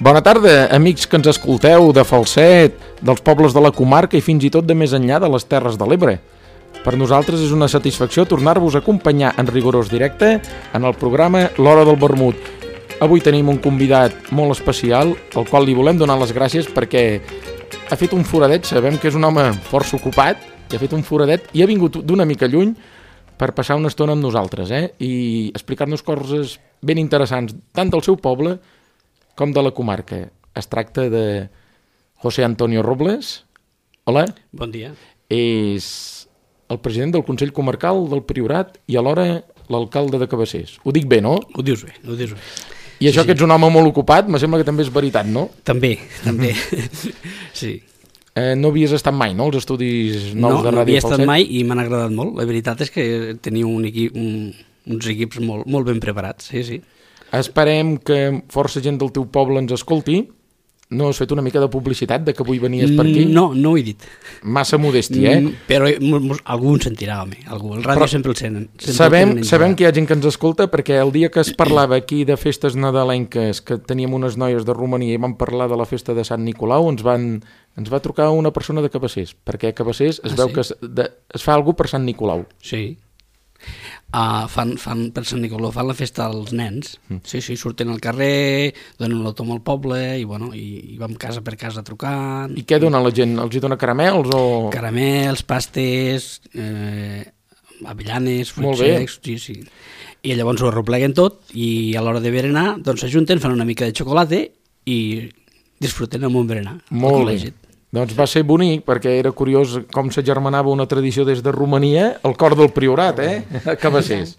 Bona tarda, amics que ens escolteu de Falset, dels pobles de la comarca i fins i tot de més enllà de les Terres de l'Ebre. Per nosaltres és una satisfacció tornar-vos a acompanyar en rigorós directe en el programa L'Hora del Vermut. Avui tenim un convidat molt especial, al qual li volem donar les gràcies perquè ha fet un foradet, sabem que és un home força ocupat, que ha fet un foradet i ha vingut d'una mica lluny per passar una estona amb nosaltres, i explicar-nos coses ben interessants, tant del seu poble com de la comarca. Es tracta de José Antonio Robles. Hola. Bon dia. És el president del Consell Comarcal del Priorat i alhora l'alcalde de Cabassers. Ho dic bé, no? Ho dius bé, ho dius bé. I això que ets un home molt ocupat, me sembla que també és veritat, no? També. Sí. No havies estat mai, no?, als estudis nous de Ràdio Falset? No havia estat mai i m'han agradat molt. La veritat és que teniu uns equips molt ben preparats, sí. Esperem que força gent del teu poble ens escolti. No has fet una mica de publicitat de que avui venies per aquí? No ho he dit. Massa modèstia, Però algú en sentirà, home. Algú. El ràdio sempre el senten. Sabem que hi ha gent que ens escolta perquè el dia que es parlava aquí de festes nadalenques, que teníem unes noies de Romania i vam parlar de la festa de Sant Nicolau, ens va trucar una persona de Cabassers, perquè a Cabassers es veu que es fa alguna per Sant Nicolau. Sí. Fan per Sant Nicolau, fan la festa als nens. Sí, surten al carrer, donen l'autom al poble i vam casa per casa trucant. I què dona la gent? Els hi dona caramels o...? Caramels, pastes, avellanes, fruits secs, sí. I llavors ho arropleguen tot i a l'hora de berenar doncs s'ajunten, fan una mica de xocolata i disfruten amb un berenar. Molt bé. Doncs va ser bonic, perquè era curiós com s'agermanava una tradició des de Romania, al cor del Priorat, a Cabassers.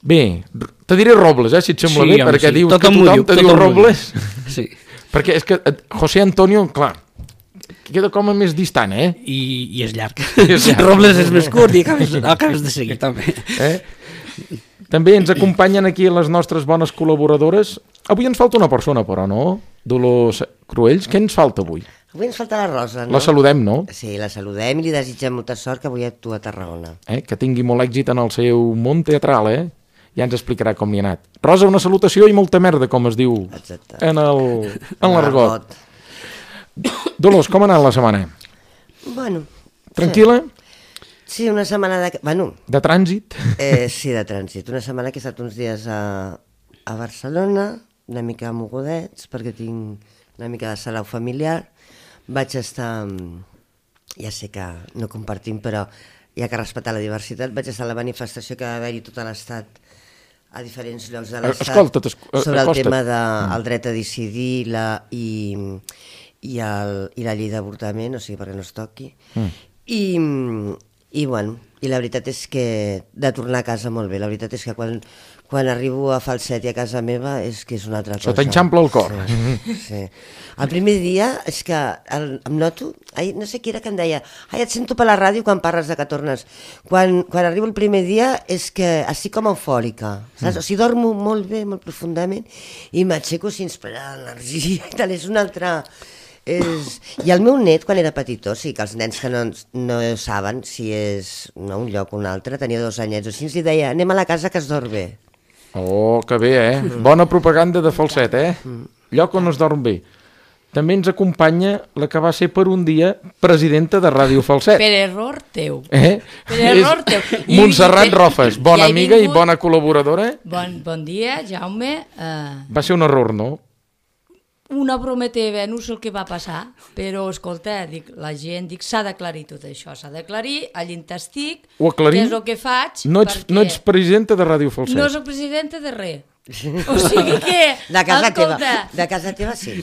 Bé, te diré Robles, si et sembla bé, perquè dius que tothom te diu Robles. Sí. Perquè és que José Antonio, clar, queda com a més distant, I és llarg. Robles és més curt i acabes de seguir, també. També ens acompanyen aquí les nostres bones col·laboradores. Avui ens falta una persona, però, no? Dolors Cruells, què ens falta avui? Avui ens falta la Rosa, no? La saludem, no? Sí, la saludem i li desitgem molta sort, que avui actua a Tarragona. Que tingui molt èxit en el seu món teatral, Ja ens explicarà com li ha anat. Rosa, una salutació i molta merda, com es diu en l'argot. Dolors, com ha anat la setmana? Bueno... Tranquil·la? Sí, una setmana de... De trànsit? Sí, de trànsit. Una setmana que he estat uns dies a Barcelona, una mica mogudets, perquè tinc una mica de salau familiar. Vaig estar, ja sé que no compartim, però hi ha que respectar la diversitat, vaig estar a la manifestació que va haver-hi tot l'estat, a diferents llocs de l'estat, sobre el tema del dret a decidir i la llei d'avortament, o sigui, perquè no es toqui. I la veritat és que de tornar a casa molt bé, la veritat és que quan arribo a Falset i a casa meva és que és una altra cosa. Se t'enxampla el cor. Sí. El primer dia és que em noto, no sé qui era que em deia, et sento per la ràdio quan parles de que tornes. Quan arribo el primer dia és que estic com eufòrica, saps? O sigui, dormo molt bé, molt profundament, i m'aixeco sense parar l'energia i tal, és una altra... I el meu net, quan era petitó, sí, que els nens que no saben si és un lloc o un altre, tenia 2 anyets o així, ens deia, anem a la casa que es dorm bé. Oh, que bé, Bona propaganda de Falset, Lloc on es dorm bé. També ens acompanya la que va ser per un dia presidenta de Ràdio Falset. Per error teu. Per error teu. Montserrat Rofes, bona amiga i bona col·laboradora. Bon dia, Jaume. Va ser un error, no? Una broma teva, no sé el que va passar, però, escolta, la gent, s'ha d'aclarir tot això, s'ha d'aclarir, allà estic, què és el que faig... No ets presidenta de Ràdio Falset. No soc presidenta de res. O sigui que... De casa teva. De casa teva, sí.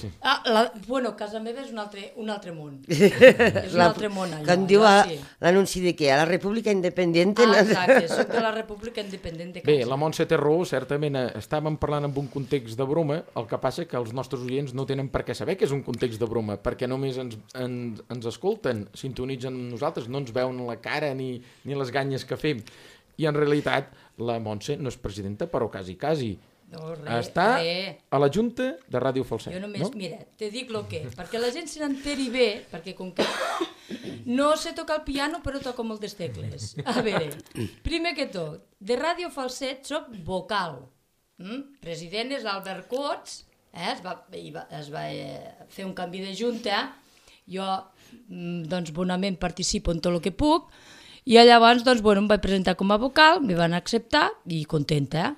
Bueno, casa meva és un altre món. És un altre món, allò. Com diu l'anunci de què? A la República Independiente... Exacte, soc de la República Independiente. Bé, la Montse té raó, certament estàvem parlant en un context de broma, el que passa que els nostres oients no tenen per què saber que és un context de broma, perquè només ens escolten, sintonitzen amb nosaltres, no ens veuen la cara ni les ganyes que fem. I en realitat la Montse no és presidenta, però quasi. No, està a la Junta de Ràdio Falset. Jo només, mira, te dic el que, perquè la gent se n'enteri bé, perquè com que no sé tocar el piano, però toco moltes tecles. A veure, primer que tot, de Ràdio Falset soc vocal. President és Albert Cots, es va fer un canvi de junta, jo doncs bonament participo en tot el que puc, i llavors doncs, bueno, em vaig presentar com a vocal, m'hi van acceptar i contenta.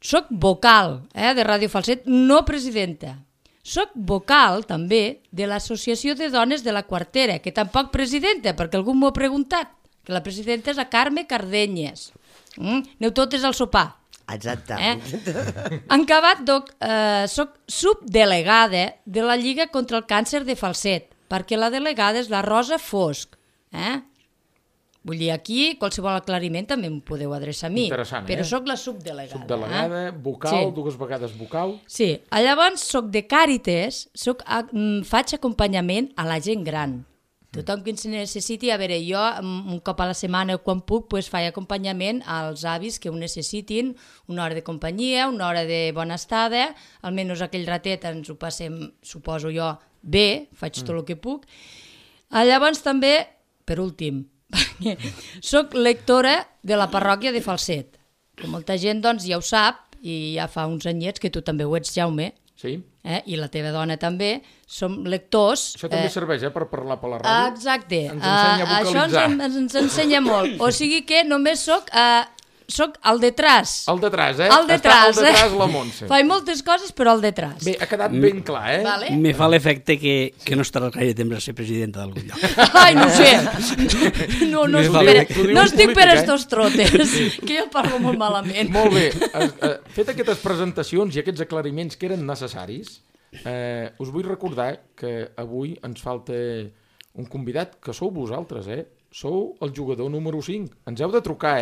Soc vocal de Ràdio Falset, no presidenta. Soc vocal també de l'Associació de Dones de la Quartera, que tampoc presidenta, perquè algú m'ho ha preguntat, que la presidenta és la Carme Cardenyes. Aneu totes al sopar. Exacte. En acabat, soc subdelegada de la Lliga contra el Càncer de Falset, perquè la delegada és la Rosa Fosc. Vull dir, aquí qualsevol aclariment també em podeu adreçar a mi. Interessant, però soc la subdelegada. Subdelegada, vocal, dues vegades vocal. Sí, llavors soc de Càritas, faig acompanyament a la gent gran. Tothom que ens necessiti, a veure, jo un cop a la setmana quan puc faig acompanyament als avis que ho necessitin, una hora de companyia, una hora de bona estada, almenys aquell ratet ens ho passem, suposo jo, bé, faig tot el que puc. Llavors també, per últim, soc lectora de la parròquia de Falset, que molta gent doncs ja ho sap, i ja fa uns anyets que tu també ho ets, Jaume, sí. I la teva dona també, som lectors. Això també serveix per parlar per la ràdio. Exacte, ens ensenya a vocalitzar. Això ens ensenya molt, o sigui que només soc al detrás. Al detrás, Al detrás, Està al detrás la Montse. Faig moltes coses, però al detrás. Bé, ha quedat ben clar, Vale. Me fa l'efecte que no estarà gaire temps a ser presidenta d'algun lloc. Ai, no ho sé. No estic per estos trotes, que jo parlo molt malament. Molt bé. Fet aquestes presentacions i aquests aclariments que eren necessaris, us vull recordar que avui ens falta un convidat, que sou vosaltres, Sou el jugador número 5. Ens heu de trucar,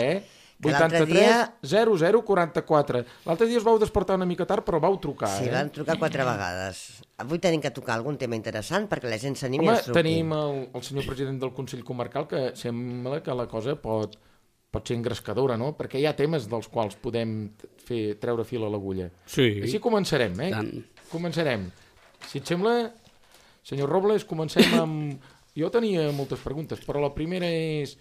83 00 44. L'altre dia us vau despertar una mica tard, però vau trucar, Sí, van trucar 4 vegades. Avui tenim que tocar algun tema interessant perquè la gent s'animi i ens truqui. Tenim el senyor president del Consell Comarcal, que sembla que la cosa pot ser engrescadora, no? Perquè hi ha temes dels quals podem treure fil a l'agulla. Sí. Així començarem, Començarem. Si et sembla, senyor Robles, comencem amb... Jo tenia moltes preguntes, però la primera és...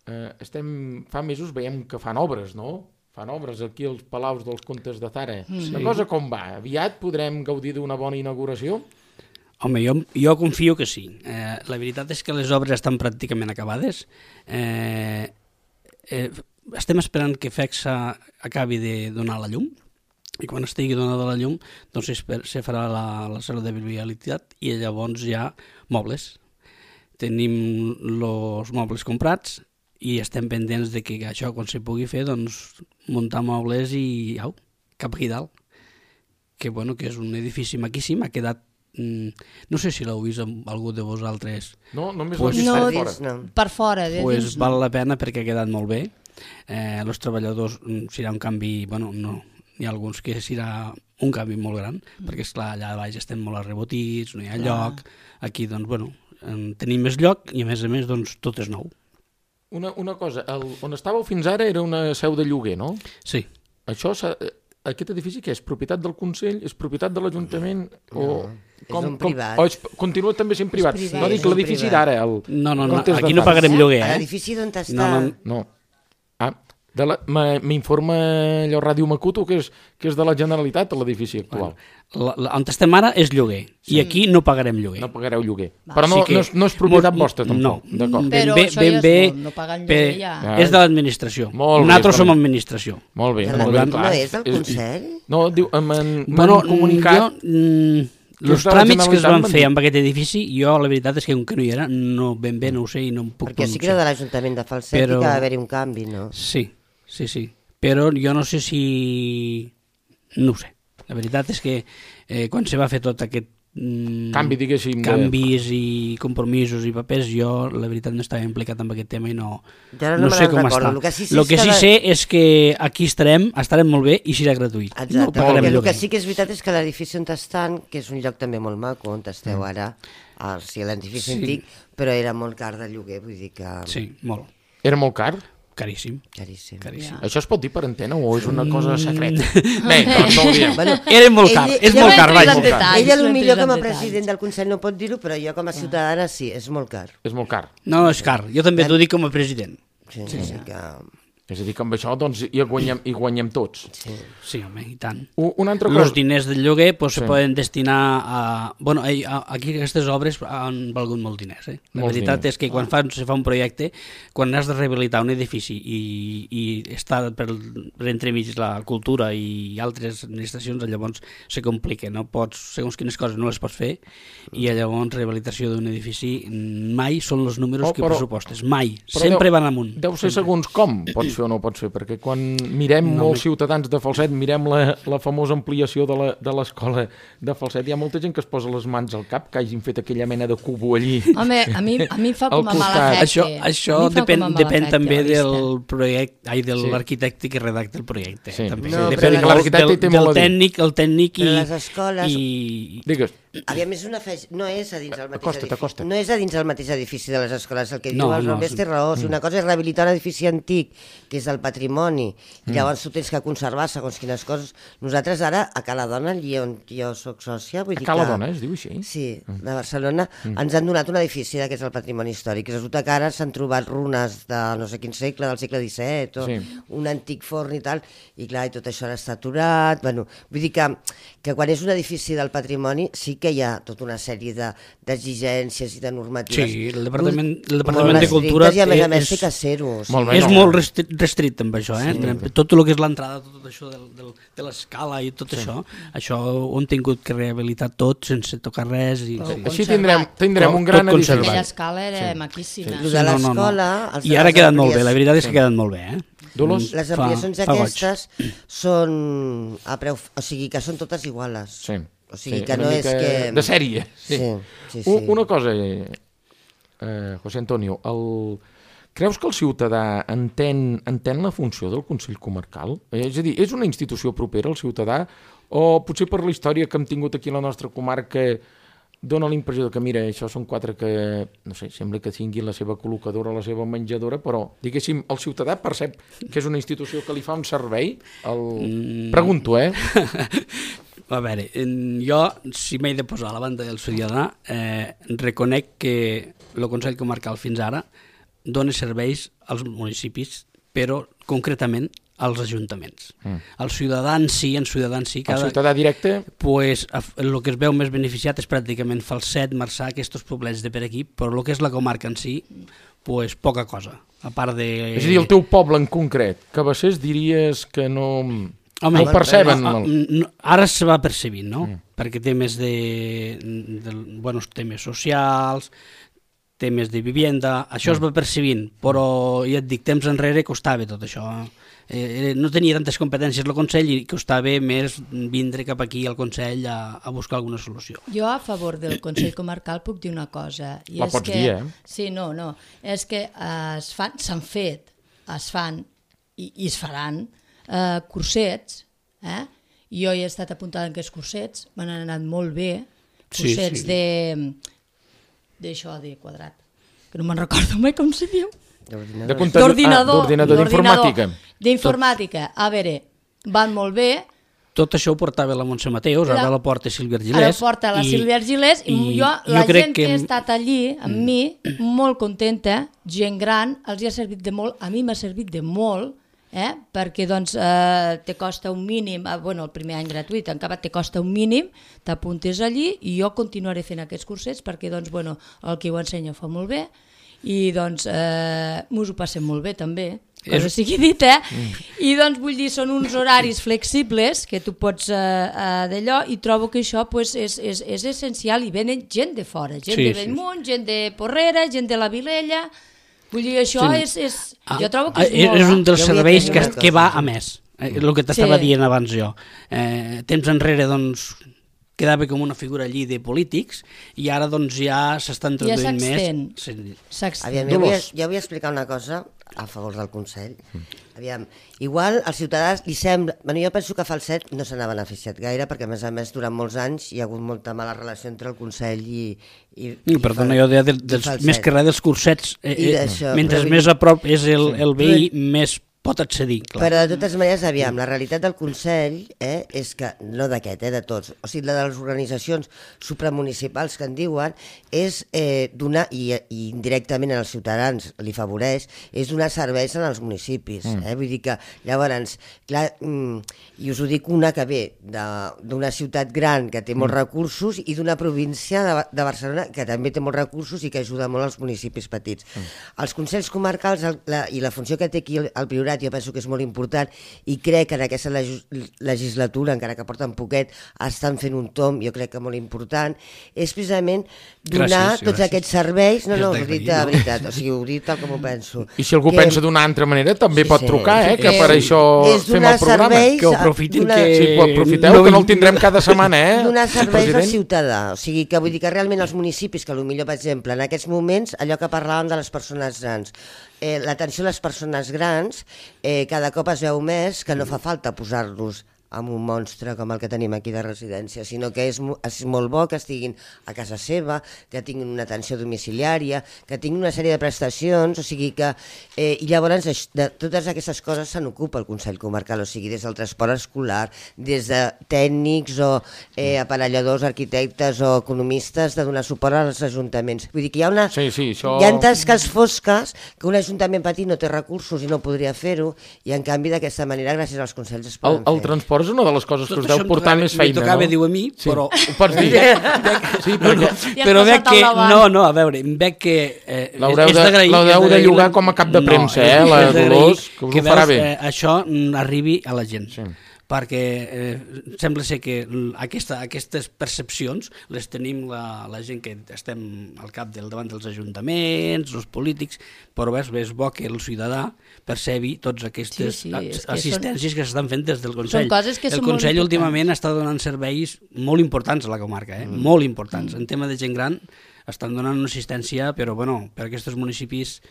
Fa mesos veiem que fan obres, no? Fan obres aquí als Palaus dels Comtes de Zara. La cosa com va? Aviat podrem gaudir d'una bona inauguració? Home, jo confio que sí. La veritat és que les obres estan pràcticament acabades. Estem esperant que FECSA acabi de donar la llum, i quan estigui donada la llum doncs se farà la sala de viabilitat i llavors hi ha mobles. Tenim els mobles comprats i estem pendents de que això, quan se pugui fer, doncs muntar mobles i cap aquí dalt. Que és un edifici maquíssim, ha quedat... No sé si l'heu vist amb algú de vosaltres. No, només l'he vist per fora. Per fora. Doncs val la pena perquè ha quedat molt bé. Els treballadors serà un canvi... no, n'hi ha alguns que serà un canvi molt gran, perquè esclar, allà baix estem molt arrebotits, no hi ha lloc. Aquí, doncs, tenim més lloc i a més, doncs, tot és nou. Una cosa, on estàveu fins ara era una seu de lloguer, no? Sí. Aquest edifici què és? Propietat del Consell? És propietat de l'Ajuntament? És un privat. Continua també sent privat? No dic l'edifici d'ara. No, aquí no pagarem lloguer. L'edifici d'on està... No. M'informa allò Ràdio Macuto que és de la Generalitat l'edifici actual. On estem ara és lloguer i aquí no pagarem lloguer. No pagareu lloguer. Però no és propietat vostra tampoc. No. Però això ja és molt, no pagant lloguer ja. És de l'administració. Nosaltres som administració. Molt bé. No és del Consell? No, diu, m'han comunicat... Els tràmits que es van fer amb aquest edifici, jo la veritat és que com que no hi era, ben bé no ho sé i no em puc pronunciar. Perquè sí que era de l'Ajuntament de Falset i que va haver-hi un canvi, no? Sí. Però jo no sé si... No ho sé. La veritat és que quan se va fer tot aquest canvi, diguéssim, canvis i compromisos i papers, jo la veritat no estava implicat en aquest tema i no sé com està. El que sí sé és que aquí estarem molt bé i serà gratuït. Exacte, perquè el que sí que és veritat és que l'edifici on estan, que és un lloc també molt maco, on esteu ara, l'edifici antic, però era molt car de lloguer, vull dir que... Sí, molt. Era molt car? Caríssim. Això es pot dir per antena o és una cosa secreta? Bé, doncs no ho diem. Era molt car, és molt car, vaja. Ella potser com a president del Consell no pot dir-ho, però jo com a ciutadana sí, és molt car. És molt car. No, és car. Jo també t'ho dic com a president. Sí que... És a dir, que amb això doncs, hi guanyem tots. Sí, home, i tant. Una altra cosa... Els diners del lloguer se poden destinar a... Bueno, aquí aquestes obres han valgut molts diners. La veritat és que quan se fa un projecte, quan has de rehabilitar un edifici i està per entremig la cultura i altres administracions, llavors se complica. No pots, segons quines coses no les pots fer, i llavors rehabilitació d'un edifici mai són els números que pressupostes. Mai. Sempre van amunt. Deu ser segons com pots fer o no pots fer, perquè quan mirem molts ciutadans de Falset, mirem la famosa ampliació de l'escola de Falset, hi ha molta gent que es posa les mans al cap que hagin fet aquella mena de cubo allí. Home, a mi em fa com a mala efecte. Això depèn també del projecte, de l'arquitecte que redacta el projecte. Sí, també. Depèn del tècnic, el tècnic i... les escoles... Digues. Aviam, no és a dins el mateix edifici. No és a dins el mateix edifici de les escoles. El que diu el Romés té raó. Si una cosa és rehabilitar un edifici antic, que és el patrimoni, i llavors tu tens que conservar segons quines coses. Nosaltres ara, a Cala Dona, allí on jo soc sòcia... A Cala Dona, es diu així? Sí, de Barcelona, ens han donat un edifici que és el patrimoni històric. Resulta que ara s'han trobat runes de no sé quin segle, del segle XVII, o un antic forn i tal, i clar, i tot això ara està aturat. Bueno, vull dir que quan és un edifici del patrimoni sí que hi ha tota una sèrie d'exigències i de normatives. Sí, el Departament de Cultura i a més té que ser-ho. És molt restricte amb això, tot el que és l'entrada, tot això de l'escala i tot això ho han tingut que rehabilitar tot sense tocar res. Així tindrem un gran edifici. Aquella escala era maquíssima. De l'escola... I ara ha quedat molt bé, la veritat és que ha quedat molt bé. Les ampliacions aquestes són a preu... O sigui, que són totes iguales. Sí. O sigui, que no és que... De sèrie. Sí. Una cosa, José Antonio, creus que el ciutadà entén la funció del Consell Comarcal? És a dir, és una institució propera al ciutadà o potser per la història que hem tingut aquí a la nostra comarca dona l'impressió que, mira, això són quatre que, no sé, sembla que tinguin la seva col·locadora, la seva menjadora, però, diguéssim, el ciutadà percep que és una institució que li fa un servei? Pregunto, A veure, jo, si m'he de posar a la banda del ciutadà, reconec que el Consell Comarcal fins ara dona serveis als municipis, però concretament als ajuntaments. El ciutadà en si... El ciutadà directe? Pues, el que es veu més beneficiat és pràcticament Falset, Marçà, aquests poblets de per aquí, però el que és la comarca en si, pues, poca cosa. A part de... És a dir, el teu poble en concret, Cabassers, diries que no... Home, no ho perceben. Ara se va percebint, no? Perquè temes temes socials, temes de vivienda, això es va percebint, però ja et dic, temps enrere costava tot això. No tenia tantes competències el Consell i costava més vindre cap aquí al Consell a buscar alguna solució. Jo a favor del Consell Comarcal puc dir una cosa. La pots dir, Sí, no. És que s'han fet, es fan i es faran cursets, jo he estat apuntada en aquests cursets, m'han anat molt bé, cursets d'això de quadrat, que no me'n recordo mai com se diu. D'ordinador. D'informàtica. A veure, van molt bé. Tot això ho portava la Montse Mateus, ara la porta Sílvia Argilés. Ara porta la Sílvia Argilés i la gent que ha estat allí amb mi, molt contenta, gent gran, els ha servit de molt, a mi m'ha servit de molt, perquè doncs te costa un mínim, el primer any gratuït, encara te costa un mínim, t'apuntes allí i jo continuaré fent aquests cursets perquè doncs, el que ho ensenya fa molt bé i doncs mos ho passem molt bé també, cosa sigui dit, i doncs vull dir, són uns horaris flexibles que tu pots d'allò i trobo que això és essencial i venen gent de fora, gent de Bellmunt, gent de Porrera, gent de la Vilella. Vull dir, això jo trobo que és molt... És un dels serveis que va a més, el que t'estava dient abans jo. Temps enrere, doncs, quedava com una figura allí de polítics i ara, doncs, ja s'està introduint més. Aviam, jo vull explicar una cosa a favor del Consell. Aviam, igual als ciutadans li sembla... jo penso que Falset no se n'ha beneficiat gaire perquè, a més, durant molts anys hi ha hagut molta mala relació entre el Consell i perdona, jo més que res dels cursets, mentre més a prop és el veí, més pot accedir, clar. Però de totes maneres, aviam, la realitat del Consell és que, no d'aquest, de tots, o sigui, la de les organitzacions supramunicipals que en diuen, és donar, i indirectament als ciutadans li favoreix, és donar serveis als municipis. Vull dir que, llavors, clar, i us ho dic una que ve d'una ciutat gran que té molts recursos i d'una província de Barcelona que també té molts recursos i que ajuda molt als municipis petits. Els consells comarcals i la funció que té aquí el Priorat jo penso que és molt important i crec que en aquesta legislatura, encara que porten poquet, estan fent un tomb, jo crec que molt important, és precisament donar tots aquests serveis, no, ho he dit de veritat, o sigui, ho he dit tal com ho penso. I si algú pensa d'una altra manera també pot trucar, que per això fem el programa. Que ho aprofitin, Sí, ho aprofiteu, que no el tindrem cada setmana, Donar serveis al ciutadà, o sigui, que vull dir que realment els municipis, que potser, per exemple, en aquests moments, allò que parlàvem de les persones grans, l'atenció a les persones grans cada cop es veu més que no fa falta posar-los amb un monstre com el que tenim aquí de residència, sinó que és molt bo que estiguin a casa seva, que tinguin una atenció domiciliària, que tinguin una sèrie de prestacions, o sigui que... I llavors de totes aquestes coses se n'ocupa el Consell Comarcal, o sigui, des del transport escolar, des de tècnics o aparelladors, arquitectes o economistes de donar suport als ajuntaments. Vull dir que hi ha una... això... Hi ha tasques fosques que un ajuntament petit no té recursos i no podria fer-ho, i en canvi d'aquesta manera, gràcies als consells es poden fer. El transport és una de les coses que us deu portar més feina, no? M'ho tocava dir a mi, però... Ho pots dir? Sí, perquè... Però veig que... No, a veure, veig que... L'heu de llogar com a cap de premsa, la Dolors, que us ho farà bé. Això arribi a la gent. Perquè sembla ser que aquestes percepcions les tenim la gent que estem al cap davant dels ajuntaments, els polítics, però és bo que el ciutadà percebi totes aquestes assistències que s'estan fent des del Consell. El Consell últimament està donant serveis molt importants a la comarca, molt importants. En tema de gent gran estan donant una assistència, però per aquests municipis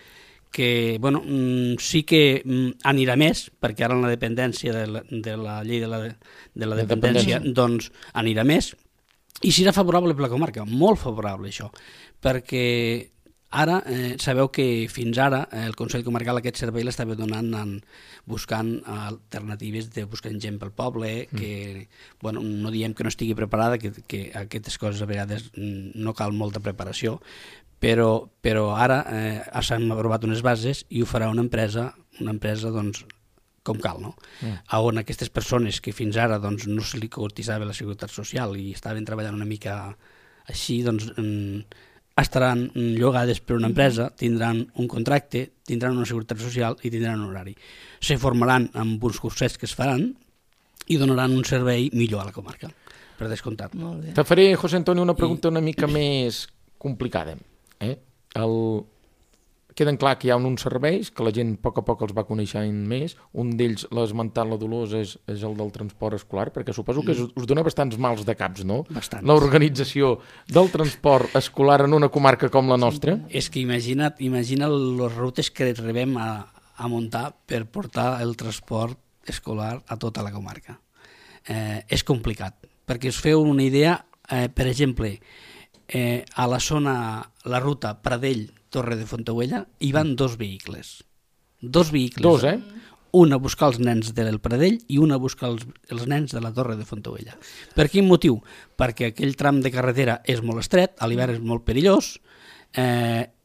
que sí que anirà més, perquè ara en la dependència de la llei de la dependència doncs anirà més, i serà favorable per la comarca, molt favorable això, perquè ara sabeu que fins ara el Consell Comarcal aquest servei l'estava donant buscant alternatives, buscant gent pel poble, que no diem que no estigui preparada, que aquestes coses a vegades no cal molta preparació, però ara s'han aprovat unes bases i ho farà una empresa doncs, com cal, no? On aquestes persones que fins ara doncs, no se li cotitzava la Seguretat Social i estaven treballant una mica així, doncs estaran llogades per una empresa, tindran un contracte, tindran una Seguretat Social i tindran un horari. Se formaran amb uns cursets que es faran i donaran un servei millor a la comarca, per descomptat. Te faré, José Antonio, una pregunta una mica més complicada. Queden clar que hi ha uns serveis que la gent a poc els va coneixent més. Un d'ells, l'ha esmentat la Dolors, és el del transport escolar, perquè suposo que us dona bastants mals de caps, no? Bastants. L'organització del transport escolar en una comarca com la nostra. És que imagina les rutes que rebem a muntar per portar el transport escolar a tota la comarca. És complicat, perquè us feu una idea, per exemple, a la zona, la ruta Pradell-Torre de Fontaubella, hi van dos vehicles. Dos, un a buscar els nens del Pradell i un a buscar els nens de la Torre de Fontaubella. Per quin motiu? Perquè aquell tram de carretera és molt estret, a l'hivern és molt perillós,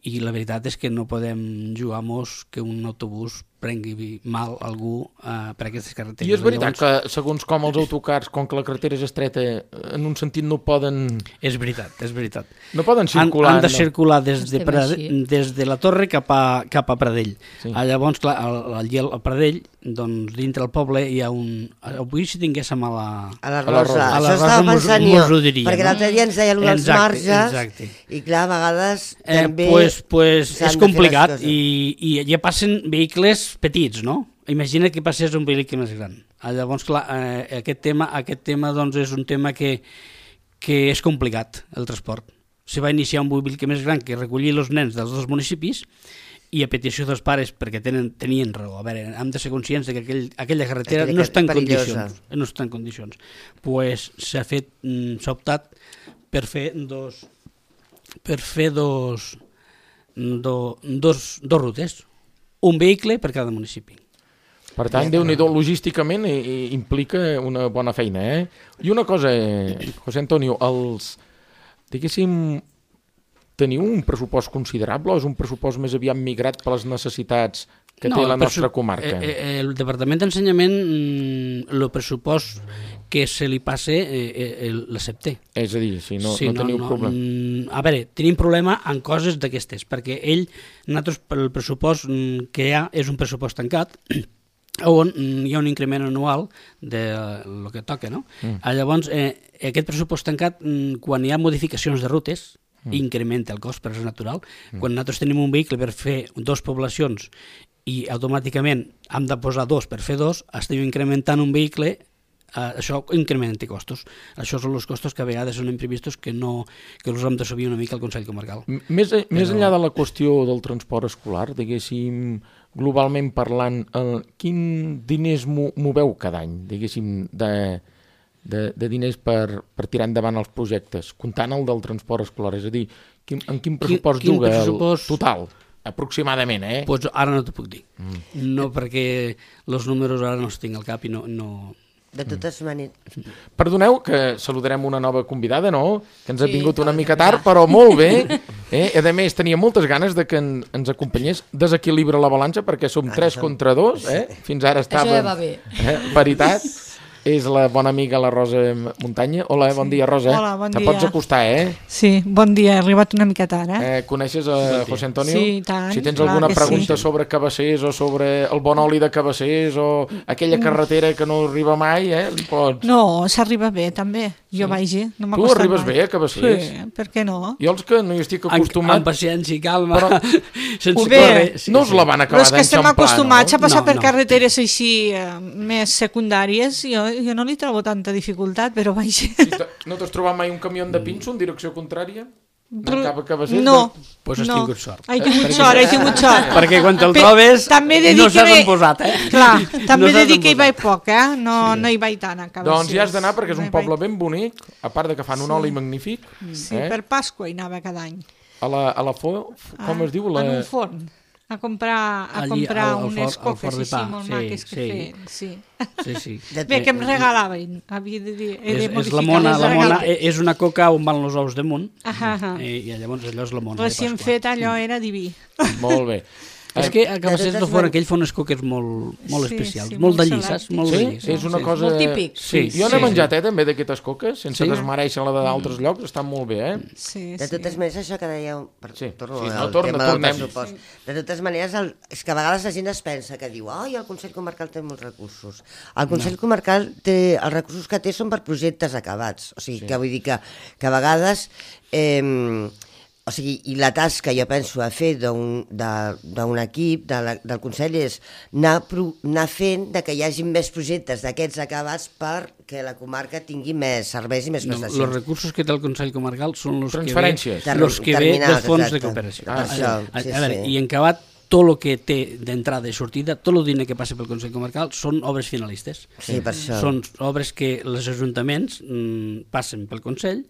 i la veritat és que no podem jugar-nos que un autobús prengui mal algú per aquestes carreteres. I és veritat que segons com els autocars, com que la carretera és estreta, en un sentit no poden... És veritat. No poden circular. Han de circular des de la Torre cap a Pradell. Llavors, clar, al Pradell, doncs dintre el poble hi ha un... Avui si tinguéssim a la Rosa. Això estava pensant jo, perquè l'altre dia ens deia allò dels marges, i clar, a vegades també... És complicat i ja passen vehicles petits, no? Imagina que passés un vehicle més gran. Llavors, clar, aquest tema doncs, és un tema que és complicat, el transport. Se va iniciar un vehicle més gran que recollir els nens dels dos municipis i a petició dels pares, perquè tenien raó. A veure, hem de ser conscients que aquella carretera no està en condicions. No està en condicions. Pues s'ha optat per fer dos rutes, un vehicle per cada municipi. Per tant, Déu-n'hi-do, logísticament implica una bona feina, I una cosa, José Antonio, diguéssim, teniu un pressupost considerable o és un pressupost més aviat migrat per les necessitats que té la nostra comarca? El Departament d'Ensenyament, el pressupost que se li passe, l'accepta. És a dir, no teniu problema. A veure, tenim problema en coses d'aquestes, perquè nosaltres, el pressupost que hi ha és un pressupost tancat, on hi ha un increment anual del que toca, no? Llavors, aquest pressupost tancat, quan hi ha modificacions de rutes, incrementa el cost, però és natural. Quan nosaltres tenim un vehicle per fer 2 poblacions i automàticament hem de posar 2 per fer 2, estem incrementant un vehicle, això incrementa costos. Això són els costos que a vegades són imprevistos que els hem d'assumir una mica al Consell Comarcal. Més enllà de la qüestió del transport escolar, diguéssim, globalment parlant, quin diners moveu cada any, diguéssim, de diners per tirar endavant els projectes, comptant el del transport escolar? És a dir, en quin pressupost juga el total, aproximadament? Pues ara no t'ho puc dir. No, perquè els números ara no els tinc al cap i no... De totes maneres... Perdoneu que saludarem una nova convidada, no? Que ens ha vingut una mica tard, però molt bé. A més, tenia moltes ganes de que ens acompanyés. Desequilibra la balança perquè som 3 contra 2. Fins ara estava... Això ja va bé. Paritat. És la bona amiga la Rosa Muntanya. Hola, bon dia, Rosa. Hola, bon dia. Te pots acostar, Sí, bon dia, he arribat una mica tard, Coneixes a José Antonio? Sí, tant. Si tens alguna pregunta sobre Cabassers o sobre el bon oli de Cabassers o aquella carretera que no arriba mai, li pots... No, s'arriba bé, també. Jo vagi, no m'ha Tu costat arribes mai. bé a Cabassers? Sí, per què no? Jo els que no hi estic acostumat... Amb paciència i calma, sense Bé, córrer. No us la van acabar Els que estem d'enxampar, acostumats a passar No, per no. carreteres així més secundàries, jo no li trobo tanta dificultat, però vaja. No t'has trobat mai un camió de pinso en direcció contrària? Anant cap a Cabassers? No, Pues has tingut sort. He tingut sort. Perquè quan te'l trobes també he de dir no saps que on posat, Clar, també he de dir que hi posat. vaig poc, no hi vaig tant a Cabassers. Doncs hi has d'anar perquè és un poble ben bonic, a part de que fan un oli magnífic. Sí, per Pasqua hi anava cada any. A la com es diu? En un forn. A comprar Allí, al unes forn coques de així pa. molt Sí, maques que sí. feien. Sí. Sí. Bé, que em regalaven, havia de dir. És la mona, és una coca on van els ous damunt, Ahà. i llavors allò és la mona de Recient Pasqua. fet, allò era diví. Molt bé. És que a Cabassers de del totes Forn aquell fa unes coques molt Sí, especials, sí, molt molt de llisses, salat. molt de Sí? llisses. És una cosa... Molt típic. Sí, Jo n'he sí. menjat, també, d'aquestes coques, sense Sí? desmereixer la d'altres llocs, estan molt bé, Sí, De totes maneres, això que dèieu... Sí, Torno sí, al no, tornem. tema del pressupost. De totes maneres, és que a vegades la gent es pensa que diu el Consell Comarcal té molts recursos. El Consell Comarcal té... Els recursos que té són per projectes acabats. O sigui, que vull dir que a vegades... O sigui, i la tasca, jo penso, a fer d'un equip, del Consell, és anar fent de que hi hagi més projectes d'aquests acabats perquè la comarca tingui més serveis i més prestacions. Els recursos que té el Consell Comarcal són els Transferències. que ve dels fons de Exacte. cooperació. Per això, sí, A veure, sí. i en acabat, tot el que té d'entrada i sortida, tot el diner que passa pel Consell Comarcal són obres finalistes. Sí, per això. Són obres que els ajuntaments passen pel Consell,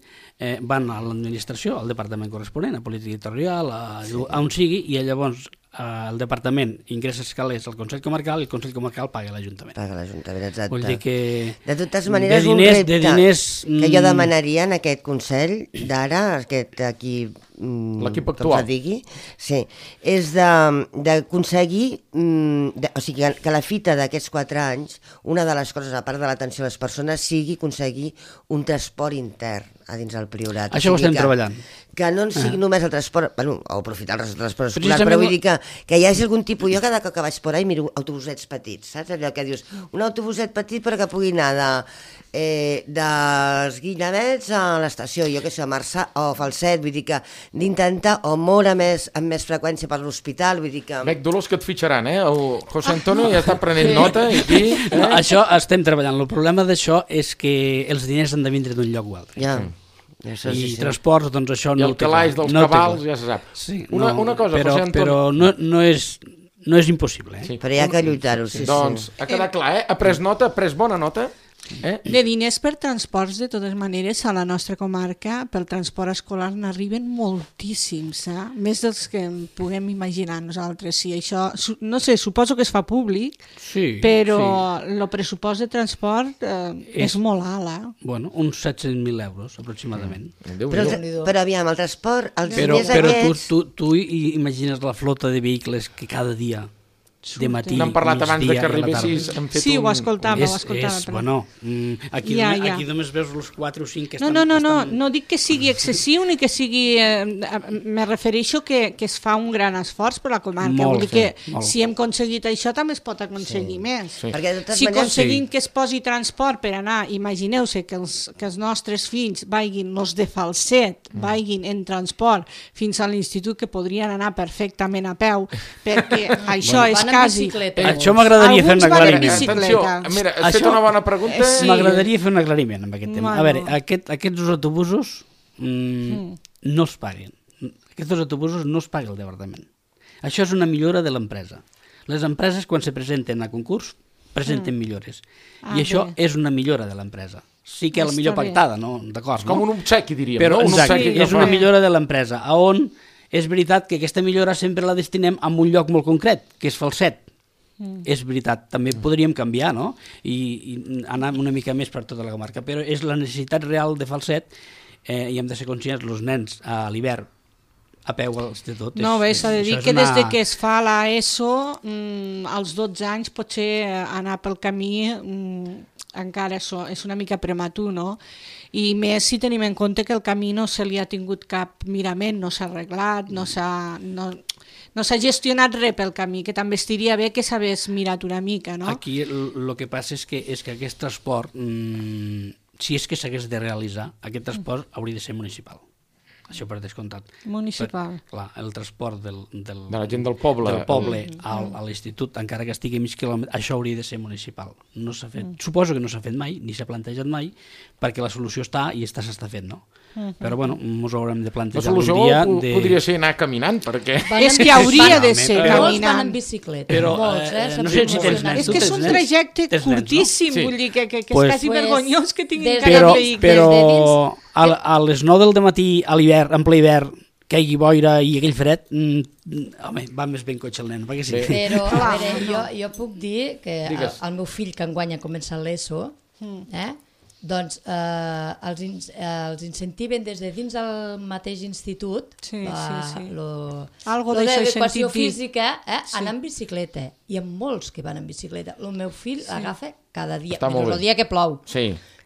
van a l'administració, al departament corresponent, a política territorial, a on sigui, i llavors el departament ingressa els calés al Consell Comarcal i el Consell Comarcal paga a l'Ajuntament. Paga l'Ajuntament, exacte. Vull dir que... De totes maneres, un repte que jo demanaria en aquest Consell d'ara, aquest aquí... L'equip com actual. se digui, sí, és d'aconseguir, o sigui, que la fita d'aquests 4 anys, una de les coses, a part de l'atenció a les persones, sigui aconseguir un transport intern a dins del Priorat. Això ho estem treballant. Que no en sigui només el transport, bueno, o aprofitar el transport escolar, Precisament però vull dir que hi hagi algun tipus... Jo cada cop que vaig por ahí miro autobusets petits, saps? Allò que dius, un autobuset petit però que pugui anar dels Guillemets a l'estació, jo què sé, a Marçà o Falset, vull dir que d'intentar o moure amb més freqüència per l'hospital, vull dir que... Bec, dolors que et fitxaran, El José Antonio ja està prenent nota i aquí... No, això estem treballant. El problema d'això és que els diners han de vindre d'un lloc o altre. Ja. Això I sí. transports, doncs això I no el ho té calaix clar. dels No ho té cabals clar. ja se sap. Sí, Una cosa, però, José Antonio... però no és impossible. Sí. Però hi ha que lluitar-ho, sí, Doncs sí. ha quedat clar, Ha pres nota, ha pres bona nota. De diners per transports, de totes maneres, a la nostra comarca, pel transport escolar n'arriben moltíssims, més dels que puguem imaginar nosaltres. Sí, això, no sé, suposo que es fa públic, però el pressupost de transport és molt alt. Bueno, uns 700.000 euros, aproximadament. Però aviam, el transport, els diners Però aquests... tu imagines la flota de vehicles que cada dia de matí, n'hem parlat abans de que arribessis. arribessis, Sí, ho escoltava. Bueno, aquí només veus els 4 o 5 que estan... No dic que sigui excessiu ni que sigui... Me refereixo que es fa un gran esforç per la comarca. Vull dir que si hem aconseguit això també es pot aconseguir més. Si aconseguim que es posi transport per anar, imagineu-se que els nostres fills vagin, els de Falset, vagin en transport fins a l'institut, que podrien anar perfectament a peu, perquè això és quasi... Això m'agradaria fer un aclariment. Atenció, mira, has fet una bona pregunta. M'agradaria fer un aclariment amb aquest tema. A veure, aquests dos autobusos no es paguen. Aquests dos autobusos no es paga el departament. Això és una millora de l'empresa. Les empreses, quan se presenten a concurs, presenten millores. I això és una millora de l'empresa. Sí que la millor pactada, no? D'acord, com un obsequi, diríem. Però és una millora de l'empresa, on és veritat que aquesta millora sempre la destinem a un lloc molt concret, que és Falset. És veritat, també podríem canviar, no? I anar una mica més per tota la comarca, però és la necessitat real de Falset, i hem de ser conscients, els nens a l'hivern a peu a l'institut. No, bé, s'ha de dir que des de que es fa l'ESO, als 12 anys potser anar pel camí encara és una mica prematur, no? I més si tenim en compte que el camí no se li ha tingut cap mirament, no s'ha arreglat, no s'ha gestionat res pel camí, que també estaria bé que s'hagués mirat una mica, no? Aquí el que passa és que aquest transport, si és que s'hagués de realitzar, aquest transport hauria de ser municipal. Això per descomptat. Municipal. Clar, el transport de la gent del poble a l'institut, encara que estigui a mig quilòmetre, això hauria de ser municipal. No s'ha fet. Suposo que no s'ha fet mai, ni s'ha plantejat mai, perquè la solució està i s'està fent, no? Però bueno, ens ho haurem de plantejar un dia. La solució podria ser anar caminant, perquè... És que hauria de ser caminant. Molts van en bicicleta. Però no sé si tens nens. És que és un trajecte curtíssim, vull dir que és quasi vergonyós que tinguin cada vehicle. Però a les 9 del dematí a l'hivern, en ple hivern, que hi hagi boira i aquell fred, home, va més ben cotxe el nen, perquè sí. Però, a veure, jo puc dir que el meu fill, que enguany ha començat l'ESO, doncs els incentiven des de dins del mateix institut l'educació física anar en bicicleta, i hi ha molts que van en bicicleta. El meu fill l'agafa cada dia, menys el dia que plou,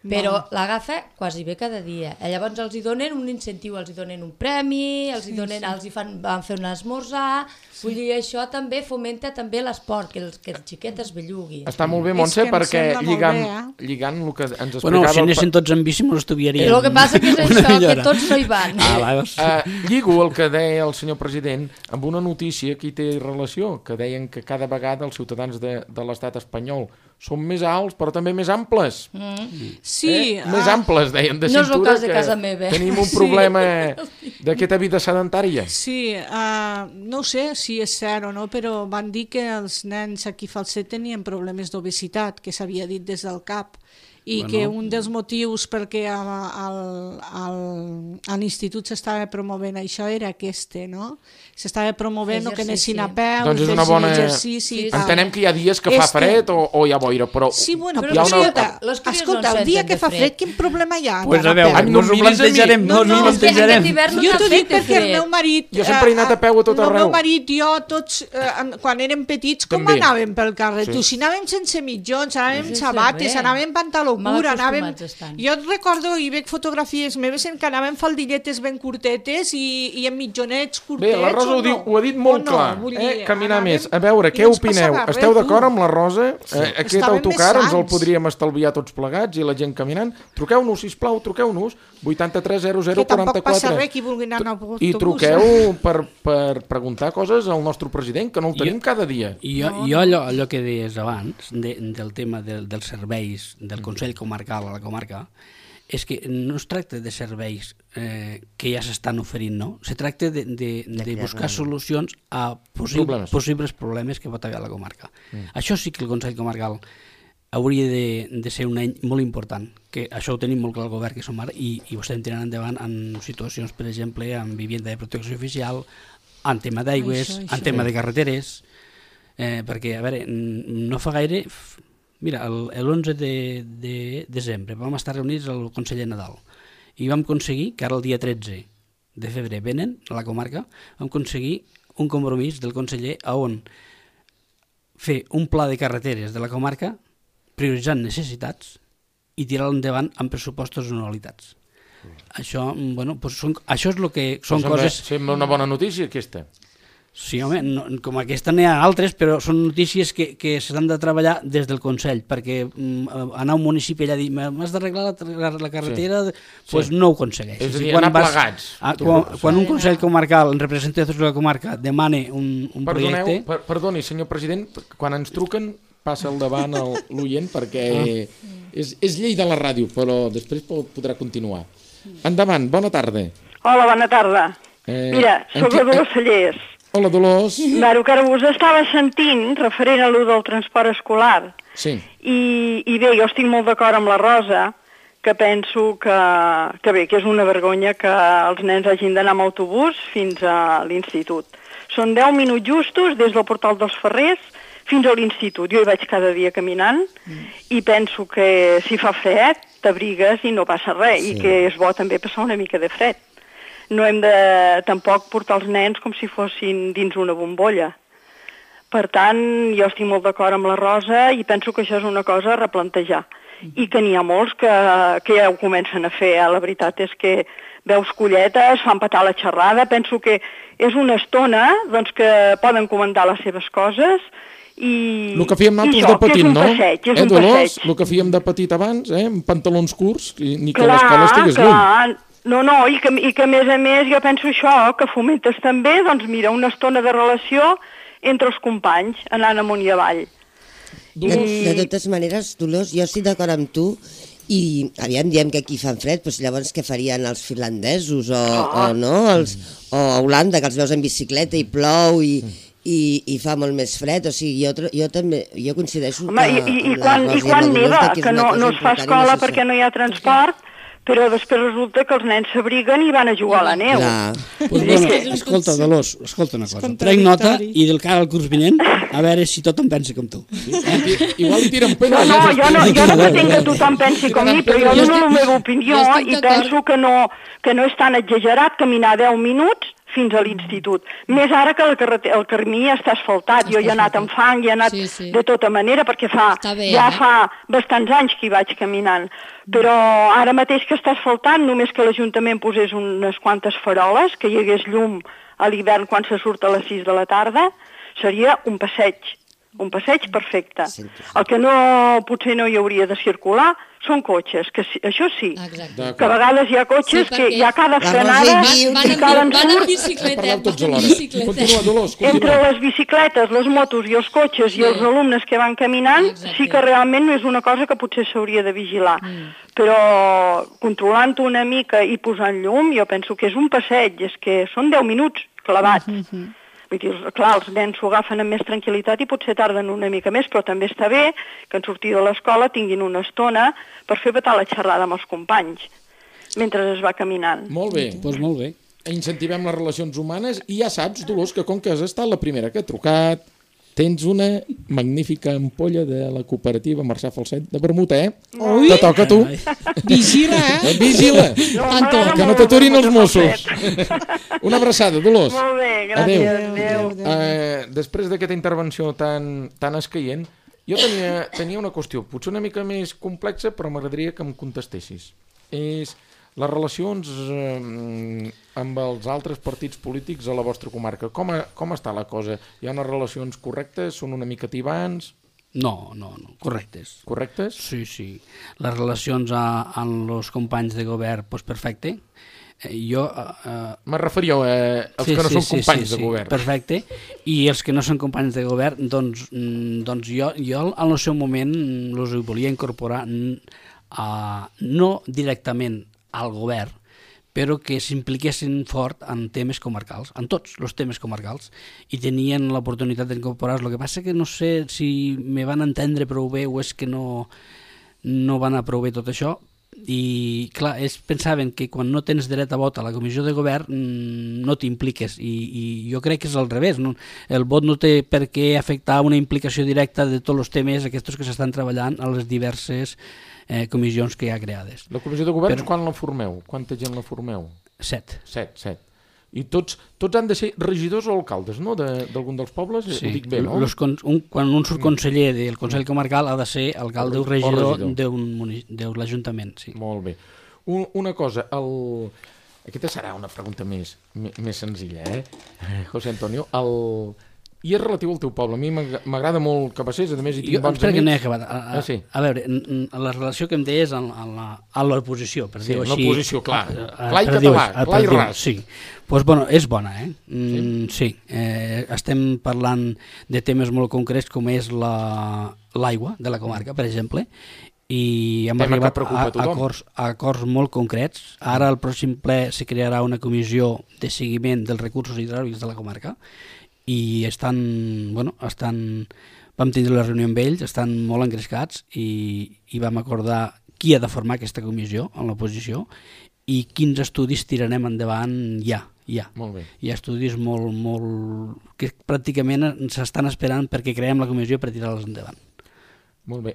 però l'agafa quasi bé cada dia. Llavors els hi donen un incentiu, els hi donen un premi, van fer un esmorzar. Vull dir, això també fomenta també l'esport, que el xiquet es bellugui. Està molt bé, Montse, perquè lligant el que ens explicava... Bueno, si anessin tots en bici m'ho estudiaríem. El que passa que és això, que tots no hi van. Lligo el que deia el senyor president amb una notícia que hi té relació, que deien que cada vegada els ciutadans de l'estat espanyol són més alts, però també més amples. Sí. Més amples, deien, de cintura. No és el cas de casa meva. Tenim un problema d'aquesta vida sedentària. Sí, no ho sé si és cert o no, però van dir que els nens aquí a Falset tenien problemes d'obesitat, que s'havia dit des del CAP, i que un dels motius perquè a l'institut s'estava promovent això era no? S'estava promovent que anessin a peu, doncs és una bona... Entenem que hi ha dies que fa fred o hi ha boira, però... Sí, bueno, però escolta, el dia que fa fred, quin problema hi ha? Pues a veure, no ho plantejarem, no ho plantejarem. Jo t'ho dic perquè el meu marit... Jo sempre he anat a peu a tot arreu. El meu marit i jo, tots, quan érem petits, com anàvem pel carrer? Tu, si anàvem sense mitjons, anàvem amb sabates, anàvem amb pantaló cura, anàvem... Jo et recordo i veig fotografies meves en què anàvem faldilletes ben curtetes i amb mitjonets curtets. Bé, la Rosa ho ha dit molt clar, caminar més. A veure, què opineu? Esteu d'acord amb la Rosa? Aquest autocar ens el podríem estalviar tots plegats i la gent caminant? Truqueu-nos, sisplau, truqueu-nos 83 00 44. Que tampoc passa res qui vulgui anar en autobús. I truqueu per preguntar coses al nostre president, que no el tenim cada dia. I jo allò que deies abans, del tema dels serveis del Consell Comarcal a la comarca, és que no es tracta de serveis que ja s'estan oferint, no? Se tracta de buscar solucions a possibles problemes que pot haver a la comarca. Això sí que el Consell Comarcal hauria de ser un any molt important, que això ho tenim molt clar al govern que som ara i ho estem tirant endavant en situacions, per exemple, en vivienda de protecció oficial, en tema d'aigües, en tema de carreteres, perquè, a veure, no fa gaire... Mira, l'11 de desembre vam estar reunits al Consell de Nadal i vam aconseguir que ara el dia 13 de febrer venen a la comarca, vam aconseguir un compromís del conseller on fer un pla de carreteres de la comarca prioritzant necessitats i tirar-lo endavant amb pressupostos anualitats. Això, bueno, doncs això és el que són coses... Sembla una bona notícia, aquesta. Sí, home, com aquesta n'hi ha altres, però són notícies que s'han de treballar des del Consell, perquè anar a un municipi allà a dir m'has d'arreglar la carretera, doncs no ho aconsegueix. És a dir, anar plegats. Quan un Consell comarcal, en representació de la comarca, demana un projecte... Perdoni, senyor president, quan ens truquen passa al davant l'oient perquè és llei de la ràdio, però després podrà continuar. Endavant, bona tarda. Hola, bona tarda. Mira, soc la Dolors Cellers. Hola, Dolors. Claro, que ara us estava sentint referent a allò del transport escolar. Sí. I bé, jo estic molt d'acord amb la Rosa, que penso que bé, que és una vergonya que els nens hagin d'anar amb autobús fins a l'institut. Són 10 minuts justos des del portal dels Ferrers fins a l'institut. Jo hi vaig cada dia caminant i penso que si fa fred t'abrigues i no passa res, i que és bo també passar una mica de fred. No hem de tampoc portar els nens com si fossin dins una bombolla. Per tant, jo estic molt d'acord amb la Rosa i penso que això és una cosa a replantejar. I que n'hi ha molts que ja ho comencen a fer. La veritat és que veus colletes, fan petar la xerrada, penso que és una estona doncs, que poden comentar les seves coses i... El que fèiem nosaltres de petit, no? Passeig, és un passeig. El que fèiem de petit abans, amb pantalons curts, ni que l'escola estigués lluny. No, i que a més jo penso això, que fomentes també, doncs mira, una estona de relació entre els companys, anant amunt i avall. De totes maneres, Dolors, jo estic d'acord amb tu i aviam, diem que aquí fan fred, doncs llavors què farien els finlandesos o no? O a Holanda, que els veus en bicicleta i plou i fa molt més fred, o sigui, jo també, jo coincideixo que... I quan neva, que no es fa escola perquè no hi ha transport, però després resulta que els nens s'abriguen i van a jugar a la neu. Escolta, Dolors, escolta una cosa. Trec nota i del cara al curs vinent a veure si tothom pensa com tu. Igual li tiren pena. No, jo no pretenc que tothom pensi com mi, però jo dono la meva opinió i penso que no és tan exagerat caminar 10 minuts fins a l'institut. Més ara que el camí està asfaltat. Jo hi he anat amb fang, hi he anat de tota manera, perquè ja fa bastants anys que hi vaig caminant. Però ara mateix que està asfaltat, només que l'Ajuntament posés unes quantes faroles, que hi hagués llum a l'hivern quan se surt a les 6 de la tarda, seria un passeig perfecte. El que potser no hi hauria de circular són cotxes, que això sí, que a vegades hi ha cotxes que hi ha cada frenada i cada ensurt. Entre les bicicletes, les motos i els cotxes i els alumnes que van caminant, sí que realment no és una cosa que potser s'hauria de vigilar. Però controlant-ho una mica i posant llum, jo penso que és un passeig, és que són 10 minuts clavats. Vull dir, clar, els nens s'ho agafen amb més tranquil·litat i potser tarden una mica més, però també està bé que en sortir de l'escola tinguin una estona per fer petar la xerrada amb els companys mentre es va caminant. Molt bé. Doncs molt bé. Incentivem les relacions humanes i ja saps, Dolors, que com que has estat la primera que ha trucat, tens una magnífica ampolla de la cooperativa Mercè Falset de vermut, Ui. Te toca a tu. Vigila, Vigila. Que no t'aturin els Mossos. Una abraçada, Dolors. Molt bé, gràcies. Adéu. Després d'aquesta intervenció tan escaient, jo tenia una qüestió, potser una mica més complexa, però m'agradaria que em contestessis. És les relacions amb els altres partits polítics a la vostra comarca. Com està la cosa? Hi ha unes relacions correctes? Són una mica tibants? No, correctes. Correctes? Sí. Les relacions amb els companys de govern, doncs perfecte. Me referia als que no són companys de govern. Perfecte. I els que no són companys de govern, doncs jo en el seu moment els volia incorporar no directament al govern, però que s'impliquessin fort en temes comarcals, en tots els temes comarcals, i tenien l'oportunitat d'incorporar-los. El que passa que no sé si me van entendre prou bé o és que no van a prou bé tot això, i clar, ells pensaven que quan no tens dret a vot a la comissió de govern no t'impliques, i jo crec que és al revés, no? El vot no té per què afectar una implicació directa de tots els temes aquests que s'estan treballant a les diverses comissions que hi ha creades. La comissió de govern, quan la formeu? Quanta gent la formeu? 7. I tots han de ser regidors o alcaldes, no?, d'algun dels pobles? Sí. Ho dic bé, no? Quan un surt conseller del Consell Comarcal ha de ser alcalde o regidor de l'Ajuntament. Sí. Molt bé. Una cosa, aquesta serà una pregunta més senzilla, José Antonio. I és relatiu al teu poble. A mi m'agrada molt Cabassers, a més hi tinc bons amics. Que no he acabat. A veure, la relació que em deies a l'oposició, per dir-ho així. L'oposició, clar. Clar i català, clar i ras. Sí, doncs és bona, Sí. Estem parlant de temes molt concrets com és l'aigua de la comarca, per exemple, i hem arribat a acords molt concrets. Ara al pròxim ple se crearà una comissió de seguiment dels recursos hidràulics de la comarca, i vam tindre la reunió amb ells, estan molt engrescats, i vam acordar qui ha de formar aquesta comissió en l'oposició i quins estudis tirarem endavant ja. Molt bé. Hi ha estudis molt que pràcticament s'estan esperant perquè creem la comissió per tirar-les endavant. Molt bé.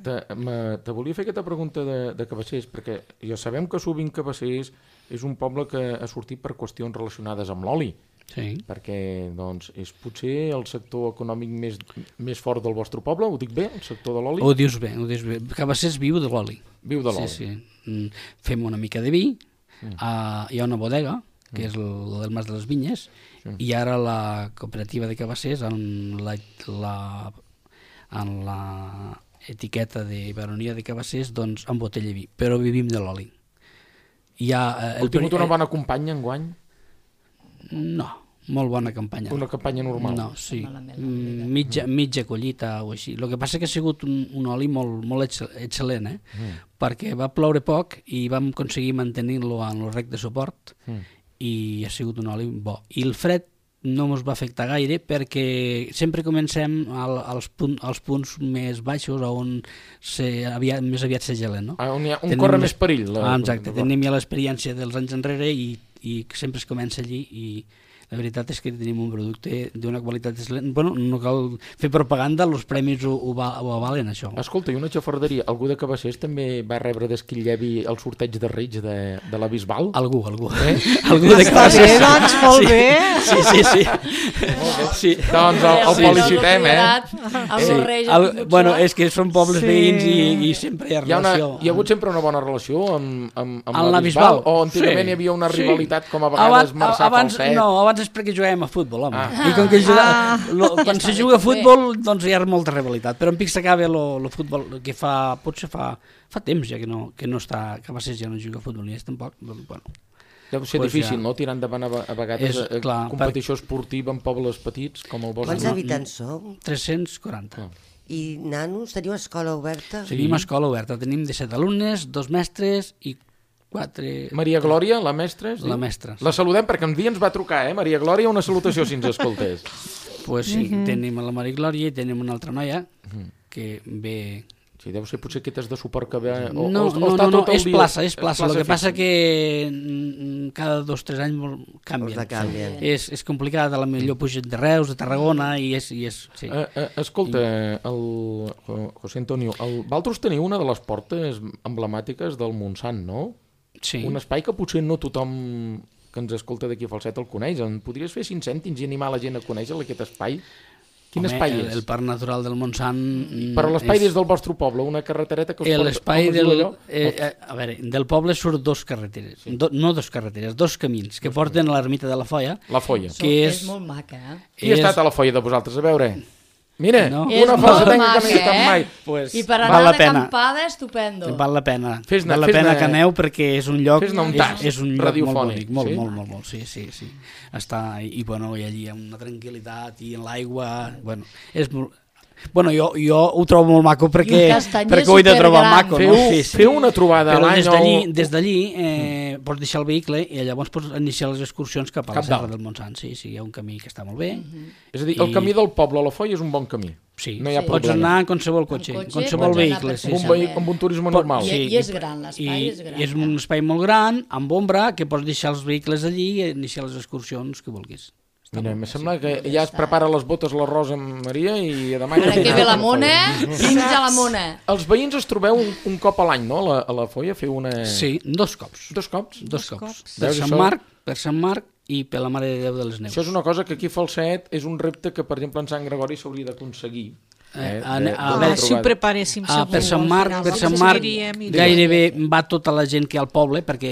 Te volia fer aquesta pregunta de Cabassers, perquè ja sabem que sovint Cabassers és un poble que ha sortit per qüestions relacionades amb l'oli. Sí. Perquè és potser el sector econòmic més fort del vostre poble, ho dic bé, el sector de l'oli? Ho dius bé. Cabassers viu de l'oli. Viu de l'oli. Sí. Fem una mica de vi, hi ha una bodega, que és el del Mas de les Vinyes, i ara la cooperativa de Cabassers, en la etiqueta de baronia de Cabassers, doncs embotella vi, però vivim de l'oli. Heu tingut una bona campanya enguany? No, molt bona campanya. Una campanya normal? No, sí. Mitja collita o així. El que passa que ha sigut un oli molt excel·lent, perquè va ploure poc i vam aconseguir mantenir-lo en el rec de suport, i ha sigut un oli bo. I el fred no ens va afectar gaire perquè sempre comencem als punts més baixos on més aviat se gelen, no? On corre més perill. Exacte, tenim ja l'experiència dels anys enrere i sempre es comença allí, i la veritat és que tenim un producte d'una qualitat excel·lent. Bueno, no cal fer propaganda, els premis ho avalen, això. Escolta, i una xafarderia, algú de Cabassers també va rebre d'Esquillevi el sorteig de Reig de la Bisbal? Algú. Algú de Cabassers. Està bé, doncs, molt bé. Sí. Doncs el felicitem, Bueno, és que són pobles veïns i sempre hi ha relació. Hi ha hagut sempre una bona relació amb la Bisbal? O antigament hi havia una rivalitat com a vegades Marçà-Falset? No, abans és perquè jugàvem a futbol, home. I com que quan se juga a futbol, doncs hi ha molta rivalitat. Però en pic s'acaba el futbol, que potser fa temps ja que no està, Cabassers ja no juga a futbol ni és tampoc. Bueno. Deu ser difícil, no?, tirar endavant a vegades competició esportiva en pobles petits com el vostre. Quants habitants sou? 340. I nanos, teniu escola oberta? Tenim escola oberta, tenim 17 alumnes, 2 mestres i 4... Maria Glòria, la mestra? La mestra. La saludem perquè un dia ens va trucar, Maria Glòria, una salutació si ens escoltés. Pues sí, tenim la Maria Glòria i tenim una altra noia que ve... Sí, deu ser potser aquestes de suport que ve... No, és plaça. El que passa que cada 2 o 3 anys canvien. És complicat, a la millor pugen de Reus, de Tarragona, i és... Sí. Escolta, José Antonio, vosaltres teniu una de les portes emblemàtiques del Montsant, no? Sí. Un espai que potser no tothom que ens escolta d'aquí a Falset el coneix. En podries fer 5 cèntims i animar la gent a conèixer aquest espai? Quin espai és? El Parc Natural del Montsant... Però l'espai des del vostre poble, una carretereta que us porta... L'espai a veure, del poble surt 2 carreteres, no 2 carreteres, 2 camins que porten a l'ermita de la Foia. La Foia. És molt maca, Qui ha estat a la Foia de vosaltres? A veure... Mira, una falsetenca que no he estat mai. I per anar d'acampada, estupendo. Val la pena. Val la pena que aneu perquè és un lloc... Fes-ne un tas radiofònic. Molt. Sí. Està, i bueno, i allí hi ha una tranquil·litat i en l'aigua... Bueno, és molt... Bueno, jo ho trobo molt maco perquè ho he de trobar maco. Feu una trobada a l'any. Però des d'allí pots deixar el vehicle i llavors pots iniciar les excursions cap a la Serra del Montsant. Sí, hi ha un camí que està molt bé. És a dir, el camí del poble a la Foia és un bon camí. Sí, pots anar en qualsevol cotxe, en qualsevol vehicle. Amb un turisme normal. I és gran, l'espai és gran. I és un espai molt gran, amb ombra, que pots deixar els vehicles allí i iniciar les excursions que vulguis. Mira, em sembla que ja es prepara les botes la Rosa Maria i demà... Ara que ve la Mona, fins a la Mona. Els veïns es trobeu un cop a l'any, no? A la Foia feu una... Sí, 2 cops. 2 cops? 2 cops. Per Sant Marc i per la Mare de Déu de les Neus. Això és una cosa que aquí a Falset és un repte que, per exemple, en Sant Gregori s'hauria d'aconseguir. A veure si ho preparéssim segur. Per Sant Marc gairebé va tota la gent que hi ha al poble, perquè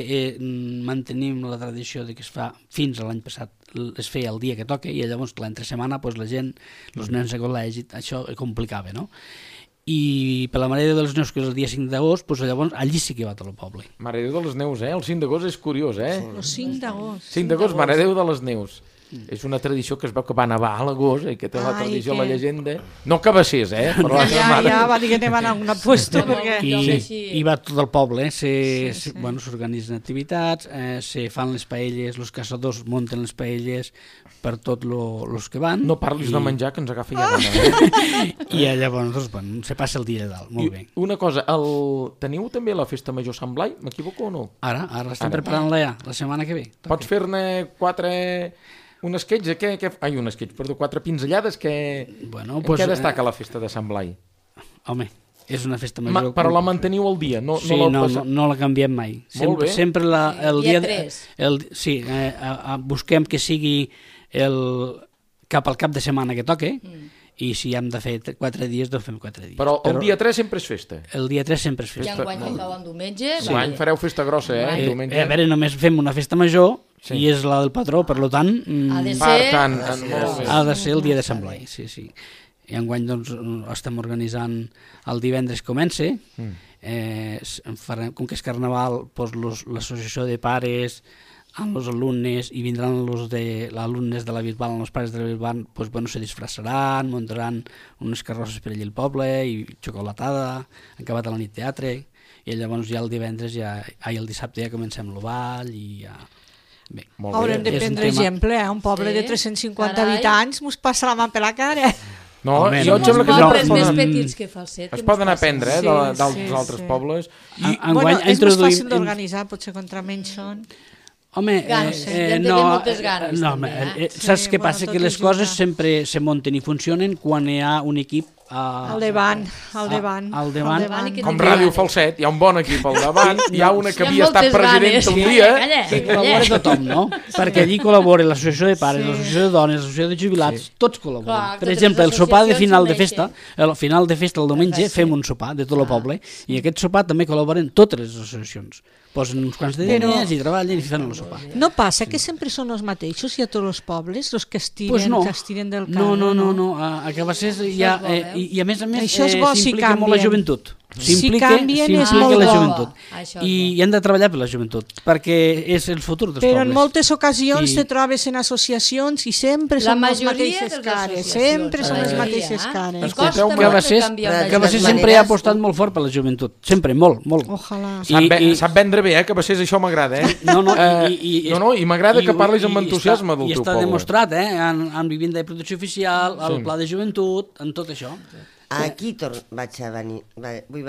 mantenim la tradició de que es fa fins a l'any passat, es feia el dia que toca, i llavors l'entre setmana la gent, els nens de col·legi, això complicava, no? I per la Mare de Déu de les Neus, que és el dia 5 d'agost, llavors allí sí que va tot el poble. Mare de Déu de les Neus, el 5 d'agost és curiós, El 5 d'agost. 5 d'agost, Mare de Déu de les Neus. És una tradició que es veu que va nevar a l'agost, que té la tradició, la llegenda... No que va ser, però ja va dir que anem a un puesto, perquè... I va tot el poble, s'organitzen activitats, se fan les paelles, els caçadors munten les paelles per tots els que van... No parlis de menjar, que ens agafa ja gana. I llavors, se passa el dia de dalt, molt bé. Una cosa, teniu també la Festa Major Sant Blai, m'equivoco o no? Ara estem preparant-la ja, la setmana que ve. Pots fer-ne 4 pinzellades que... En què destaca la festa de Sant Blai? Home, és una festa major... Però la manteniu al dia, no la canviem mai. Sempre el dia 3. Sí, busquem que sigui cap al cap de setmana que toque, i si hem de fer 4 dies, doncs fem 4 dies. Però el dia 3 sempre és festa? El dia 3 sempre és festa. I enguany que cau en diumenge... Enguany fareu festa grossa, A veure, només fem una festa major, i és la del patró, per tant... Ha de ser el dia de Sant Blai, sí. I enguany doncs estem organitzant el divendres comença, com que és carnaval, l'associació de pares amb els alumnes, i vindran els alumnes de la Bisbal, els pares de la Bisbal, se disfressaran, muntaran unes carrosses per allà al poble, i xocolatada, han acabat a la nit teatre, i llavors ja el divendres, el dissabte ja comencem el ball, i ja... Haurem de prendre exemple, un poble de 350 habitants mos passa la mà per la cara. No, jo em sembla que pobles més petits que Falset. Es poden aprendre dels altres pobles. És més fàcil d'organitzar, potser contra menys són. Home, saps què passa? Que les coses sempre se munten i funcionen quan hi ha un equip al davant. Com Ràdio Falset, hi ha un bon equip al davant, hi ha una que havia estat presidenta un dia. Que col·labora tothom, no? Perquè allí col·labora l'associació de pares, l'associació de dones, l'associació de jubilats, tots col·laboren. Per exemple, el sopar de final de festa, el el diumenge, fem un sopar de tot el poble, i aquest sopar també col·laboren totes les associacions. Posen uns quants de diners i treballen i fan el sopar. No passa que sempre són els mateixos i a tots els pobles, els que estiren del carro? No, a Cabassers i a més s'implica molt la joventut. S'implica la joventut. I han de treballar per la joventut, perquè és el futur dels pobles. Però en moltes ocasions te trobes en associacions i sempre són les mateixes cares. Sempre són les mateixes cares. Cabassers sempre ha apostat molt fort per la joventut. Sempre, molt. Ojalà. Sap vendre bé, Cabassers, això m'agrada. I m'agrada que parlis amb entusiasme del teu poble. I està demostrat, en vivienda de protecció oficial, el pla de joventut, en tot això. Aquí vaig a venir.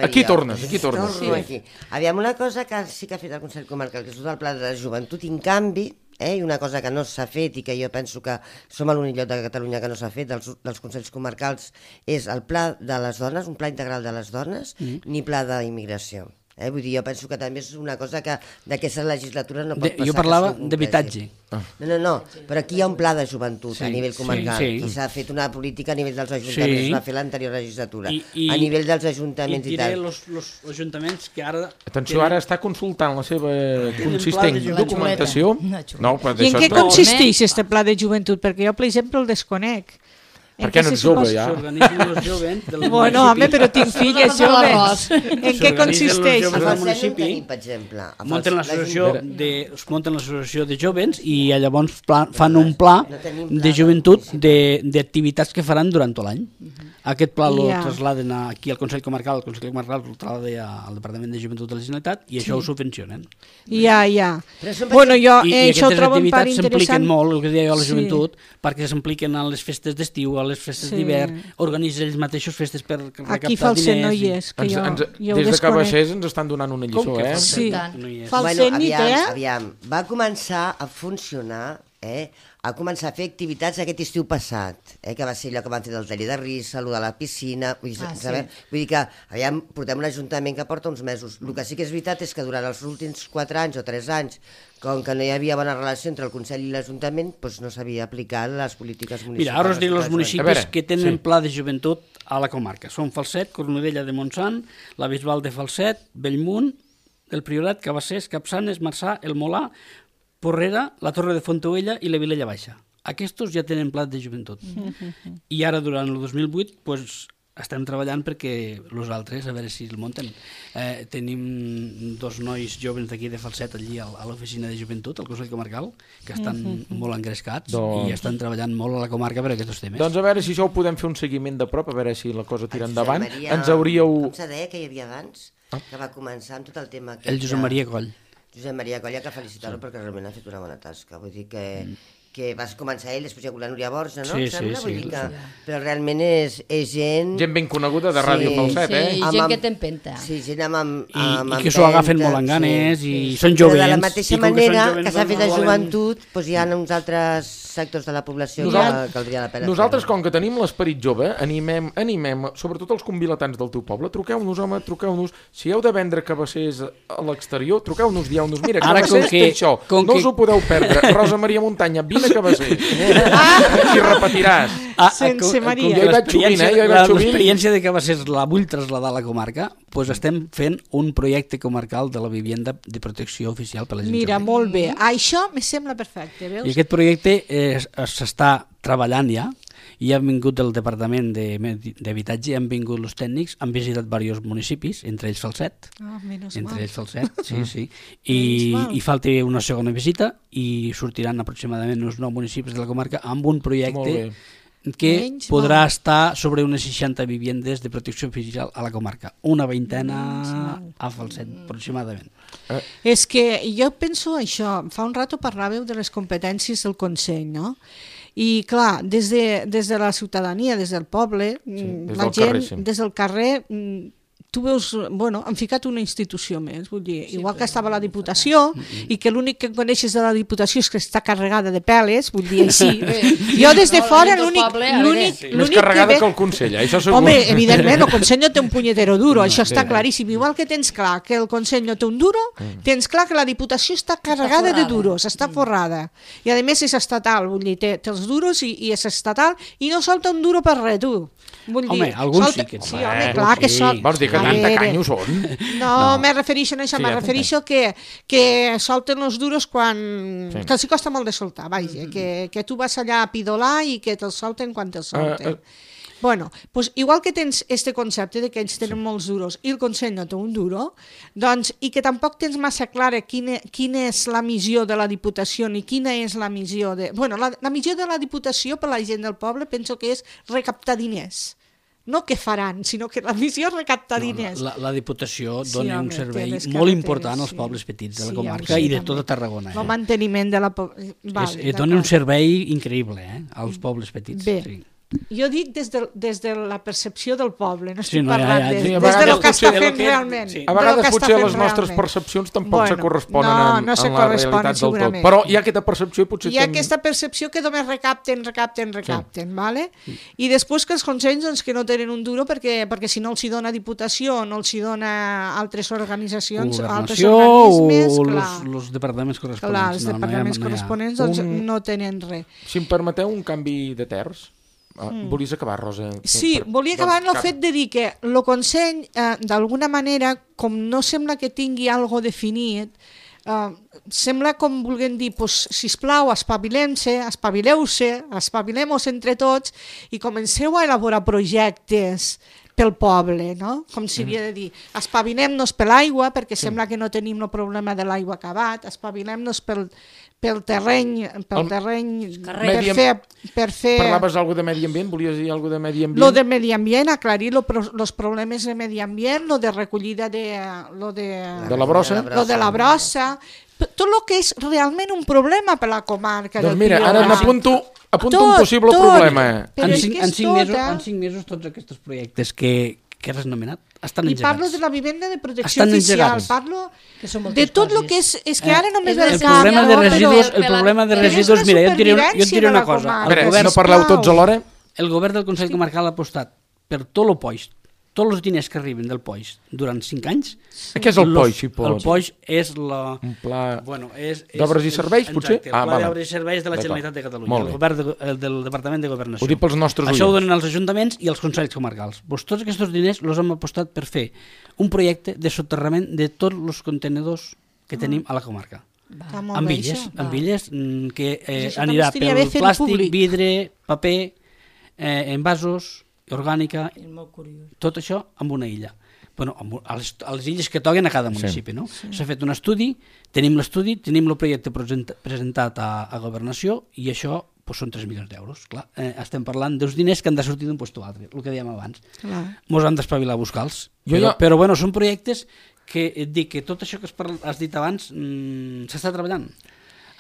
Aquí tornes. Sí. Aviam, una cosa que sí que ha fet el Consell Comarcal, que és tot el pla de la joventut, i en canvi, i una cosa que no s'ha fet i que jo penso que som a l'únic lloc de Catalunya que no s'ha fet dels Consells Comarcals, és el pla de les dones, un pla integral de les dones, ni pla d'immigració. Vull dir, jo penso que també és una cosa que d'aquesta legislatura no pot passar. Jo parlava d'habitatge. No, però aquí hi ha un pla de joventut a nivell comarcal i s'ha fet una política a nivell dels ajuntaments, es va fer l'anterior legislatura, a nivell dels ajuntaments i tal. I diré els ajuntaments que ara... Atenció, ara està consultant la seva consistent documentació. I en què consisteix aquest pla de joventut? Perquè jo, per exemple, el desconec. Perquè no ets jove, ja. S'organitzen els joves del municipi. Bueno, home, però tinc filles joves. En què consisteix? Els A del municipi tenim, per exemple. munten l'associació de joves i llavors fan un pla de joventut d'activitats que faran durant tot l'any. Aquest pla el trasladen aquí al Consell Comarcal, el Consell Comarcal el traslada al Departament de Joventut de la Generalitat i això ho subvencionen. Ja. Bueno, jo això ho trobo un part interessant. I aquestes activitats s'impliquen molt, el que deia jo, a la joventut, perquè s'impliquen a les festes d'estiu, a les festes d'hivern, organitzen ells mateixos festes per recaptar diners. Aquí Falset no hi és, que jo ho desconec. Des de Cabassers ens estan donant una lliçó, Sí, Falset ni té. Aviam, va començar a funcionar, a començar a fer activitats aquest estiu passat, que va ser allò que van fer del taller de risa, allò de la piscina, vull dir que aviam, portem un ajuntament que porta uns mesos. El que sí que és veritat és que durant els últims 4 anys o 3 anys, com que no hi havia bona relació entre el Consell i l'Ajuntament, doncs no s'havia aplicat les polítiques municipals. Mira, ara us dic els municipis que tenen pla de joventut a la comarca. Són Falset, Cornudella de Montsant, la Bisbal de Falset, Bellmunt, el Priorat, Cabassers, Capçanes, Marçà, el Molà, Porrera, la Torre de Fontaubella i la Vilella Baixa. Aquests ja tenen pla de joventut. I ara, durant el 2008, doncs, estem treballant perquè els altres, a veure si el munten. Tenim 2 nois joves d'aquí de Falset allí a l'oficina de joventut, al Consell Comarcal, que estan molt engrescats i estan treballant molt a la comarca per aquests temes. Doncs a veure si això ho podem fer un seguiment de prop, a veure si la cosa tira endavant. Ens hauríeu... Com se deia que hi havia abans, que va començar amb tot el tema... El Josep Maria Coll. Josep Maria Coll, que felicitar-lo perquè realment ha fet una bona tasca. Vull dir que vas començar ell, després hi ha la Núria Borja, no? Sí. Però realment és gent... Gent ben coneguda de Ràdio Falset, Sí, gent que t'empenta. Sí, gent amb I que s'ho agafen molt en ganes i són jovents. Però de la mateixa manera que s'ha fet de joventut, doncs hi ha uns altres sectors de la població que caldria la pena. Nosaltres, com que tenim l'esperit jove, animem, sobretot els convilatans del teu poble, truqueu-nos, home, truqueu-nos. Si heu de vendre cabassers a l'exterior, truqueu-nos, dieu-nos, mira, cabassers té això, no us ho podeu perdre. Rosa Maria Muntanya, vine a cabassers. I repetiràs. Sense Maria. Jo hi vaig sovint, L'experiència de Cabassers la vull traslladar a la comarca, doncs estem fent un projecte comarcal de la vivienda de protecció oficial per a la gent. Mira, molt bé. Això me sembla perfecte, veus? I aquest projecte s'està treballant ja, i han vingut del Departament d'Habitatge, han vingut els tècnics, han visitat diversos municipis, entre ells Falset. Sí. I falta una segona visita i sortiran aproximadament uns 9 municipis de la comarca amb un projecte que podrà estar sobre unes 60 vivendes de protecció oficial a la comarca. Una veintena a Falset, aproximadament. És que jo penso això, fa un rato parlàveu de les competències del Consell, no? I clar, des de la ciutadania, des del poble, la gent, des del carrer, tu veus, bueno, han ficat una institució més, vull dir, igual que estava la Diputació i que l'únic que coneixes de la Diputació és que està carregada de peles, vull dir així. Jo des de fora l'únic més carregada que el Consell, això segur. Home, evidentment, el Consell no té un punyetero duro, això està claríssim. Igual que tens clar que el Consell no té un duro, tens clar que la Diputació està carregada de duros, està forrada. I a més és estatal, vull dir, té els duros i és estatal i no solta un duro per res, tu. Home, alguns sí que... Sí, home, clar que sol... Vols dir que tanta canyo són? No, me refereixo a això, me refereixo que solten els duros quan... que els costa molt de soltar, vaja, que tu vas allà a pidolar i que te'ls solten quan te'ls solten. Bueno, pues igual que tens este concepte de que ells tenen molts duros i el Consell no té un duro, doncs, i que tampoc tens massa clara quina és la missió de la Diputació ni quina és la missió de... Bueno, la missió de la Diputació per la gent del poble penso que és recaptar diners. No què faran, sinó que la missió és recaptar diners. La Diputació dona un servei molt important als pobles petits de la comarca i de tota Tarragona. El manteniment de la... Dona un servei increïble als pobles petits. Bé. Jo dic des de la percepció del poble, no estic parlant des de lo que està fent realment. A vegades potser les nostres percepcions tampoc se corresponen amb la realitat del tot. Però hi ha aquesta percepció i potser... Hi ha aquesta percepció que només recapten, ¿vale? I després que els consells doncs, que no tenen un duro perquè si no els hi dona Diputació o no els hi dona altres organitzacions, altres organismes... O els departaments corresponents. Clar, els departaments corresponents no tenen res. Si em permeteu un canvi de terç, volies acabar, Rosa? Sí, volia acabar en el fet de dir que el Consell, d'alguna manera, com no sembla que tingui algo definit, sembla com vulguem dir, sisplau, espavileu-vos entre tots i comenceu a elaborar projectes pel poble, no? Com si havia de dir, espavilem-nos per l'aigua, perquè sembla que no tenim el problema de l'aigua acabat, espavilem-nos pel terreny per fer... Parlaves alguna de medi ambient? Volies dir alguna de medi ambient? Lo de medi ambient, aclarir els problemes de medi ambient, lo de recollida de la brossa? Lo de la brossa, tot el que és realment un problema per la comarca. Doncs mira, ara n'apunto un possible problema. En 5 mesos tots aquests projectes que has anomenat estan engegats. I parlo de la vivenda de protecció oficial, parlo de tot el que és que ara només el problema de residus, mira, jo et diré una cosa. No parleu tots alhora? El govern del Consell Comarcal ha apostat per tot el POIX, tots els diners que arriben del POIX durant 5 anys. Què és el POIX? El POIX és un pla d'obres i serveis, potser? Exacte, el pla d'obres i serveis de la Generalitat de Catalunya, el govern del Departament de Governació. Ho dic pels nostres oients. Això ho donen els ajuntaments i els consells comarcals. Tots aquests diners els hem apostat per fer un projecte de soterrament de tots els contenedors que tenim a la comarca. Amb illes que anirà pel plàstic, vidre, paper, envasos, orgànica, tot això amb una illa. Bueno, a les illes que toquen a cada municipi, no? S'ha fet un estudi, tenim l'estudi, tenim el projecte presentat a Governació i això són 3 milions d'euros. Clar, estem parlant dels diners que han de sortir d'un lloc a l'altre, el que dèiem abans. Mos han d'espavilar a buscar-los. Però bueno, són projectes que et dic que tot això que has dit abans s'està treballant.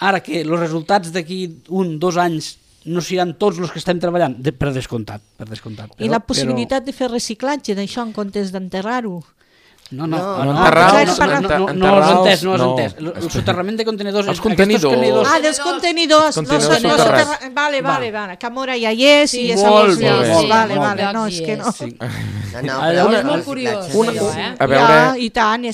Ara que els resultats d'aquí 1-2 anys no seran tots els que estem treballant, per descomptat. I la possibilitat de fer reciclatge d'això en comptes d'enterrar-ho? No has entès. El soterrament de contenidors... Els contenidors. Dels contenidors. Vale, que mora ja hi és i és molt bé. No, és que no. És molt curiós. A veure... I tant,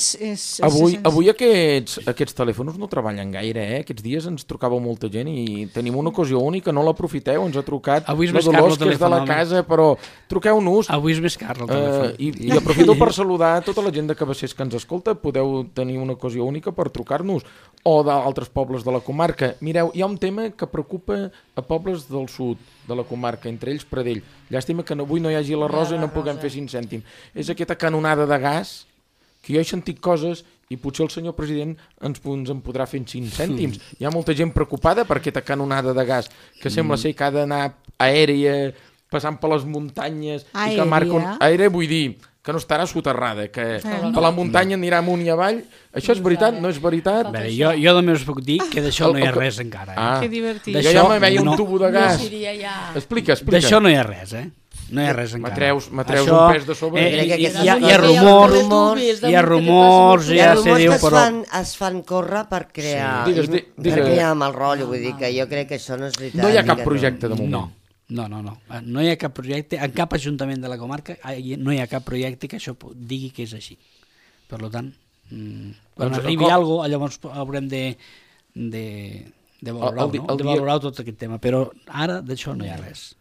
avui aquests telèfons no treballen gaire, Aquests dies ens trucava molta gent i tenim una ocasió única, no l'aprofiteu, ens ha trucat la Dolors, que és de la casa, però truqueu-nos. Avui és més car el telèfon. I aprofito per saludar tota la gent de Cabassers que ens escolta, podeu tenir una ocasió única per trucar-nos, o d'altres pobles de la comarca. Mireu, hi ha un tema que preocupa a pobles del sud de la comarca, entre ells Pradell. Llàstima que avui no hi hagi la Rosa i no puguem fer 5 cèntims. És aquesta canonada de gas, que jo he sentit coses i potser el senyor president ens en podrà fer 5 cèntims. Hi ha molta gent preocupada per aquesta canonada de gas, que sembla ser que ha d'anar aèria, passant per les muntanyes... Aèria, vull dir... que no estarà soterrada, que per la muntanya anirà amunt i avall. Això és veritat? No és veritat? Bé, jo només puc dir que d'això no hi ha res encara. Que divertit. Jo ja me veia un tubo de gas. Explica. D'això no hi ha res, No hi ha res encara. M'atreus un pes de sobre. Hi ha rumors, ja se diu, però... Es fan córrer per crear amb el rotllo, vull dir que jo crec que això no és veritat. No hi ha cap projecte de moment. No. No hi ha cap projecte, en cap ajuntament de la comarca no hi ha cap projecte que això digui que és així. Per tant, quan arribi alguna cosa, llavors haurem de valorar tot aquest tema. Però ara d'això no hi ha res.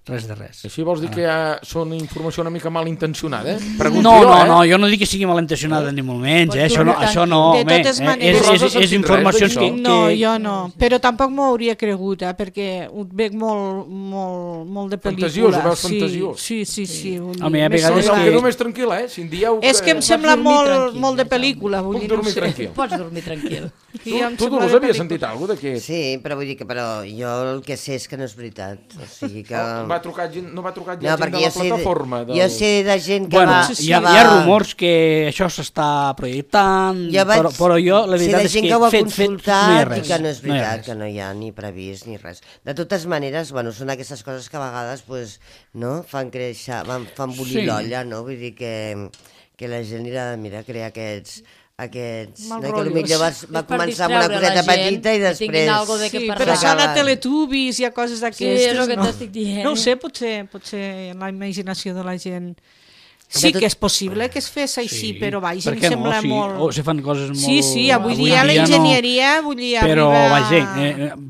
Res de res. Així vols dir que són informació una mica malintencionada? No, jo no dic que sigui malintencionada ni molt menys, això no, de totes maneres. És informacions que... No, jo no, però tampoc m'ho hauria cregut, perquè ho veig molt de pel·lícula. Fantasiós, ho veus fantasiós. Sí. Home, hi ha vegades que... Em quedo més tranquil, si em dieu que... És que em sembla molt de pel·lícula. Puc dormir tranquil. Pots dormir tranquil. Tu Dolors havies sentit alguna cosa d'aquest? Sí, però vull dir que jo el que sé és que no és veritat. O sigui que... No va trucar gent de la plataforma? Jo sé de gent que va... Hi ha rumors que això s'està projectant, però jo la veritat és que gent que ho ha fet consultat no hi ha res. I que no és veritat, que no hi ha ni previst ni res. De totes maneres, són aquestes coses que a vegades fan créixer, fan bullir l'olla, no? Vull dir que la gent anirà a crear aquests que potser va començar amb una coseta petita i després... però són a Teletubbies i a coses d'aquestes. Sí, és el que t'estic dient. No ho sé, potser la imaginació de la gent Sí que és possible que es fes així, però vaja, em sembla molt... O se fan coses molt... Sí, avui dia la enginyeria però vaja,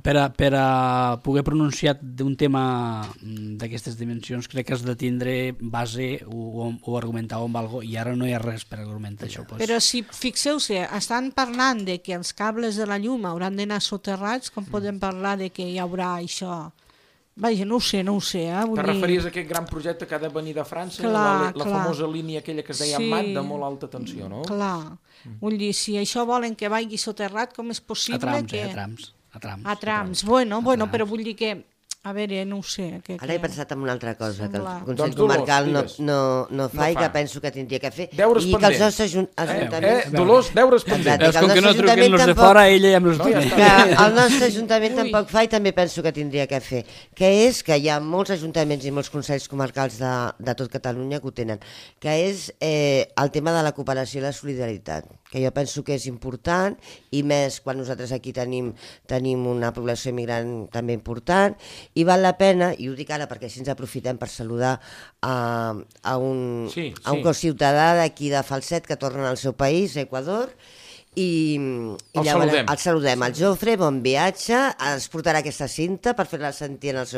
per a poder pronunciar d'un tema d'aquestes dimensions crec que has de tindre base o argumentar amb alguna cosa, i ara no hi ha res per argumentar això. Però si fixeu-se, estan parlant de que els cables de la llum hauran d'anar soterrats, com podem parlar de que hi haurà això... Vaja, no ho sé, Te referies a aquest gran projecte que ha de venir de França, la famosa línia aquella que es deia MAT, de molt alta tensió, no? Clar, vull dir, si això volen que vagi soterrat, com és possible que... A trams, bueno, però vull dir que... A veure, no ho sé. Ara he pensat en una altra cosa, que el Consell Comarcal no fa i que penso que tindria que fer. Deures pendents. I que els nostres ajuntaments... Dolors, deures pendents. Com que no truquen los de fora, ella ja amb los tiene. Que el nostre ajuntament tampoc fa i també penso que tindria que fer. Que és que hi ha molts ajuntaments i molts consells comarcals de tot Catalunya que ho tenen. Que és el tema de la cooperació i la solidaritat. Que jo penso que és important, i més quan nosaltres aquí tenim una població immigrant també important, i val la pena, i ho dic ara perquè així ens aprofitem per saludar a un conciutadà d'aquí de Falset que torna al seu país, Equador, i el saludem. El Jofre, bon viatge, ens portarà aquesta cinta per fer-la sentir als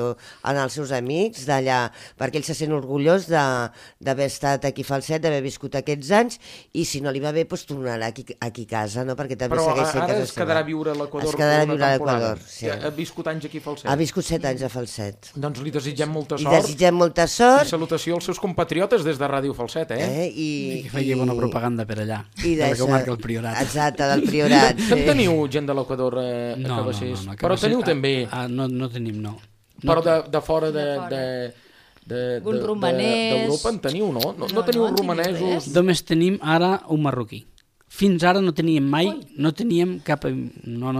seus amics d'allà, perquè ell se sent orgullós d'haver estat aquí a Falset, d'haver viscut aquests anys, i si no li va bé, doncs tornarà aquí a casa, no? Perquè també segueix sent casa seva. Però ara es quedarà a viure a l'Equador. Es quedarà a viure a l'Equador, sí. Ha viscut anys aquí a Falset. Ha viscut 7 anys a Falset. Doncs li desitgem molta sort. Li desitgem molta sort. I salutació als seus compatriotes des de Ràdio Falset, I que faci bona propaganda per allà, de la comarca del Priorat. Exacte, del Priorat. En teniu gent de l'Equador a Cabassers? Però teniu també... No tenim, no. Però de fora un romanès... d'Europa en teniu, no? No teniu romanesos... Només tenim ara un marroquí. Fins ara no teníem mai, no teníem cap... No.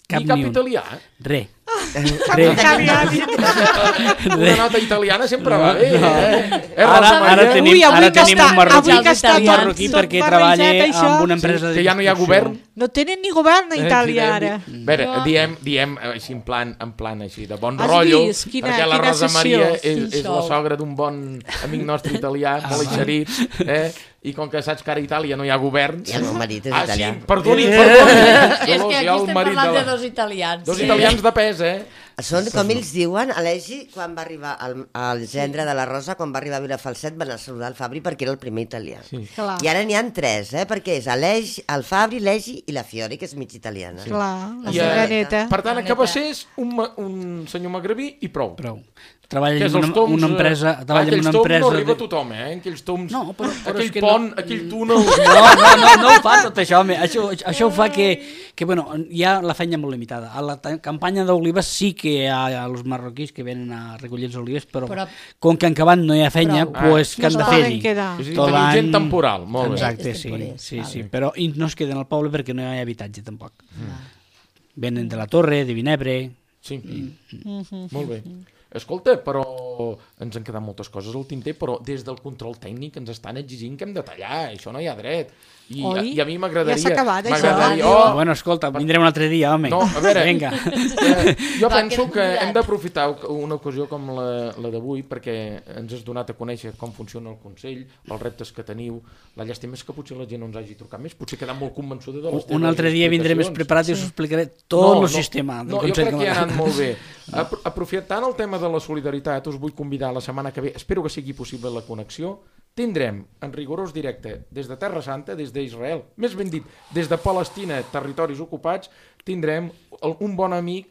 Ni cap italià? Res. Una nota italiana sempre va bé. Ara tenim un marroquí perquè treballa amb una empresa que ja no hi ha govern. No tenen ni govern a Itàlia ara. A veure, diem així en plan així de bon rotllo, perquè la Rosa Maria és la sogra d'un bon amic nostre italià, molt eixerit, i com que saps que ara a Itàlia no hi ha govern... I el meu marit és italià. Perdoni. És que aquí estem parlant de dos italians. Dos italians de pes, Són, com ells diuen, Alegi, quan va arribar el gendre de la Rosa, quan va arribar a Vilafalset, van a saludar el Fabri perquè era el primer italià. Sí. I ara n'hi ha 3, perquè és el Fabri, l'Egi i la Fiori, que és mig italiana. Sí. Clar, la seva neta. Per tant, a Cabassers, un senyor magrebí i prou. Treballa en una empresa... Aquells toms no arriba a tothom, Aquells toms... No, però aquell pont, aquell túnel... No ho fa tot això, home. Això ho fa que hi ha la feina molt limitada. A la campanya d'olives sí que hi ha els marroquís que venen a recollir les olives, però com que en Cabat no hi ha feina, doncs que han de fer-hi. És a dir, tenim gent temporal, molt bé. Exacte, sí. Però no es queden al poble perquè no hi ha habitatge, tampoc. Venen de la Torre, de Vinebre... Sí, molt bé. Escolta, però ens han quedat moltes coses al tinter, però des del control tècnic ens estan exigint que hem de tallar, això no hi ha dret. I a mi m'agradaria... Ja s'ha acabat, això. Bueno, escolta, vindrem un altre dia, home. No, a veure, vinga. Jo penso que hem d'aprofitar una ocasió com la d'avui perquè ens has donat a conèixer com funciona el Consell, els reptes que teniu. La llàstima és que potser la gent no ens hagi trucat més, potser quedar molt convençuda de les teves un altre dia vindré més preparat i us explicaré tot el sistema del Consell. Jo crec que ha anat molt bé. Aprofitant el tema de la solidaritat, us vull convidar la setmana que ve, espero que sigui possible la connexió. Tindrem, en rigorós directe, des de Terra Santa, des d'Israel, més ben dit, des de Palestina, territoris ocupats, tindrem un bon amic,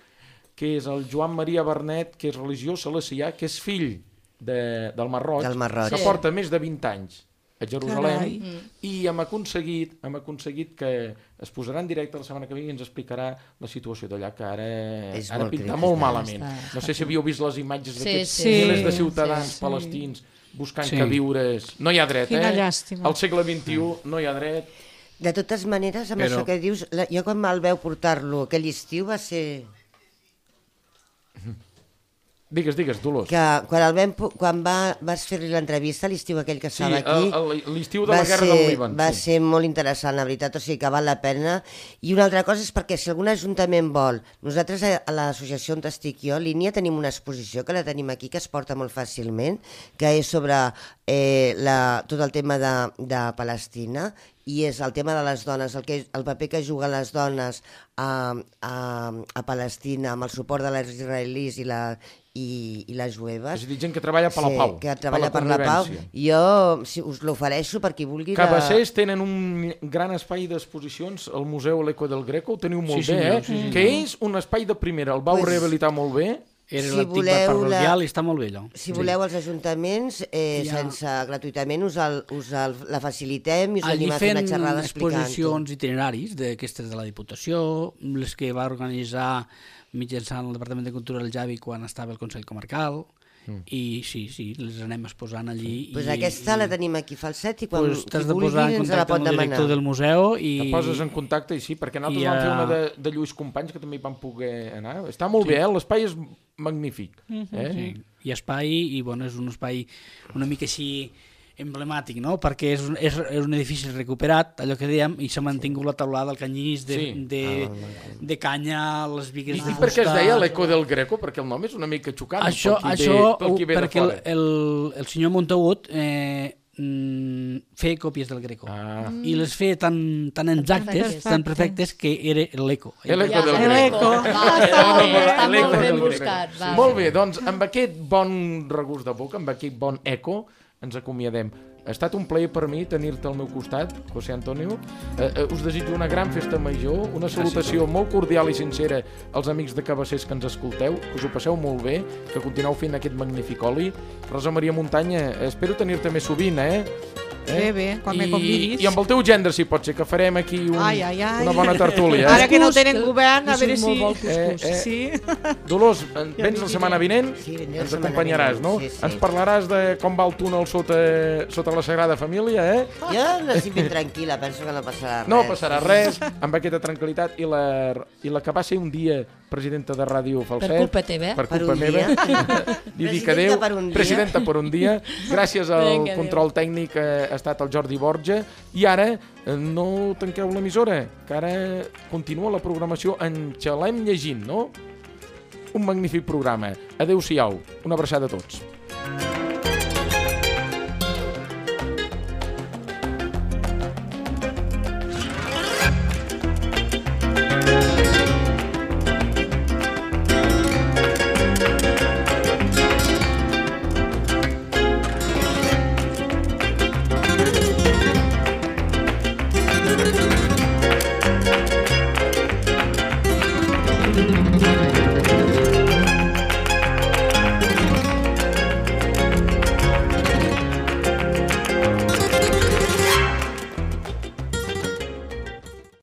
que és el Joan Maria Bernet, que és religiós salesià, que és fill del Marroig, que porta més de 20 anys a Jerusalem, i hem aconseguit que es posarà en directe la setmana que ve i ens explicarà la situació d'allà, que ara pinta molt malament. No sé si havíeu vist les imatges d'aquests milers de ciutadans palestins buscant queviures. No hi ha dret, Quina llàstima. Al segle XXI no hi ha dret. De totes maneres, amb això que dius, jo quan me'l veu portar-lo aquell estiu va ser... Digues, Dolors. Que quan vas fer-li l'entrevista, l'estiu aquell que estava aquí... Sí, l'estiu de la Guerra del Líban. Va ser molt interessant, la veritat, o sigui que val la pena. I una altra cosa és perquè si algun ajuntament vol... Nosaltres a l'associació on estic jo, Línia, tenim una exposició que la tenim aquí, que es porta molt fàcilment, que és sobre tot el tema de Palestina, i és el tema de les dones, el paper que juguen les dones a Palestina amb el suport de les israelis i les jueves. És a dir, gent que treballa per la pau. Sí, que treballa per la pau. Jo us l'ofereixo per qui vulgui. Cabassers tenen un gran espai d'exposicions al Museu L'Eco del Greco, ho teniu molt bé, que és un espai de primera, el vau rehabilitar molt bé. Era l'antic bar parroquial i està molt bé allò. Si voleu els ajuntaments, gratuïtament us la facilitem i us anem a fer una xerrada explicant-ho. Allí fent exposicions itineraris d'aquestes de la Diputació, les que va organitzar mitjançant el Departament de Cultura del Javi quan estava el Consell Comarcal, i sí, les anem exposant allí. Doncs aquesta la tenim aquí Falset i quan t'has de posar en contacte amb el director del museu i... Te poses en contacte i sí, perquè nosaltres vam fer una de Lluís Companys que també hi vam poder anar. Està molt bé, l'espai és magnífic. Sí, hi ha espai i és un espai una mica així emblemàtic, no? Perquè és un edifici recuperat, allò que dèiem, i s'ha mantingut la taulada, el canyís de canya, les bigues de fusta... I per què es deia l'Eco del Greco? Perquè el nom és una mica xocant. Això perquè el senyor Montagut feia còpies del Greco i les feia tan exactes, tan perfectes, que era l'Eco. L'Eco del Greco. Està molt ben buscat. Molt bé, doncs amb aquest bon regust de boca, amb aquest bon eco, ens acomiadem. Ha estat un plaer per mi tenir-te al meu costat, José Antonio. Us desitjo una gran festa major, una salutació molt cordial i sincera als amics de Cabassers que ens escolteu, que us ho passeu molt bé, que continueu fent aquest magnífic oli. Rosa Maria Muntanya, espero tenir-te més sovint, Bé, quan me convidis. I amb el teu gendre, si pot ser, que farem aquí una bona tertúlia. Ara que no tenen govern, a veure si... Sí. Dolors, vens la setmana vinent? Sí, ens acompanyaràs, no? Sí. Ens parlaràs de com va el túnel sota la Sagrada Família, Jo n'estic ben tranquil·la, penso que no passarà res. No passarà res, amb aquesta tranquil·litat, i la que va ser un dia presidenta de Ràdio Falset. Per culpa teva. Per culpa meva. Li dic adéu. Presidenta per un dia. Gràcies al control tècnic ha estat el Jordi Borja. I ara no tanqueu l'emissora, que ara continua la programació en Xalem llegint, no? Un magnífic programa. Adéu-siau. Una abraçada a tots.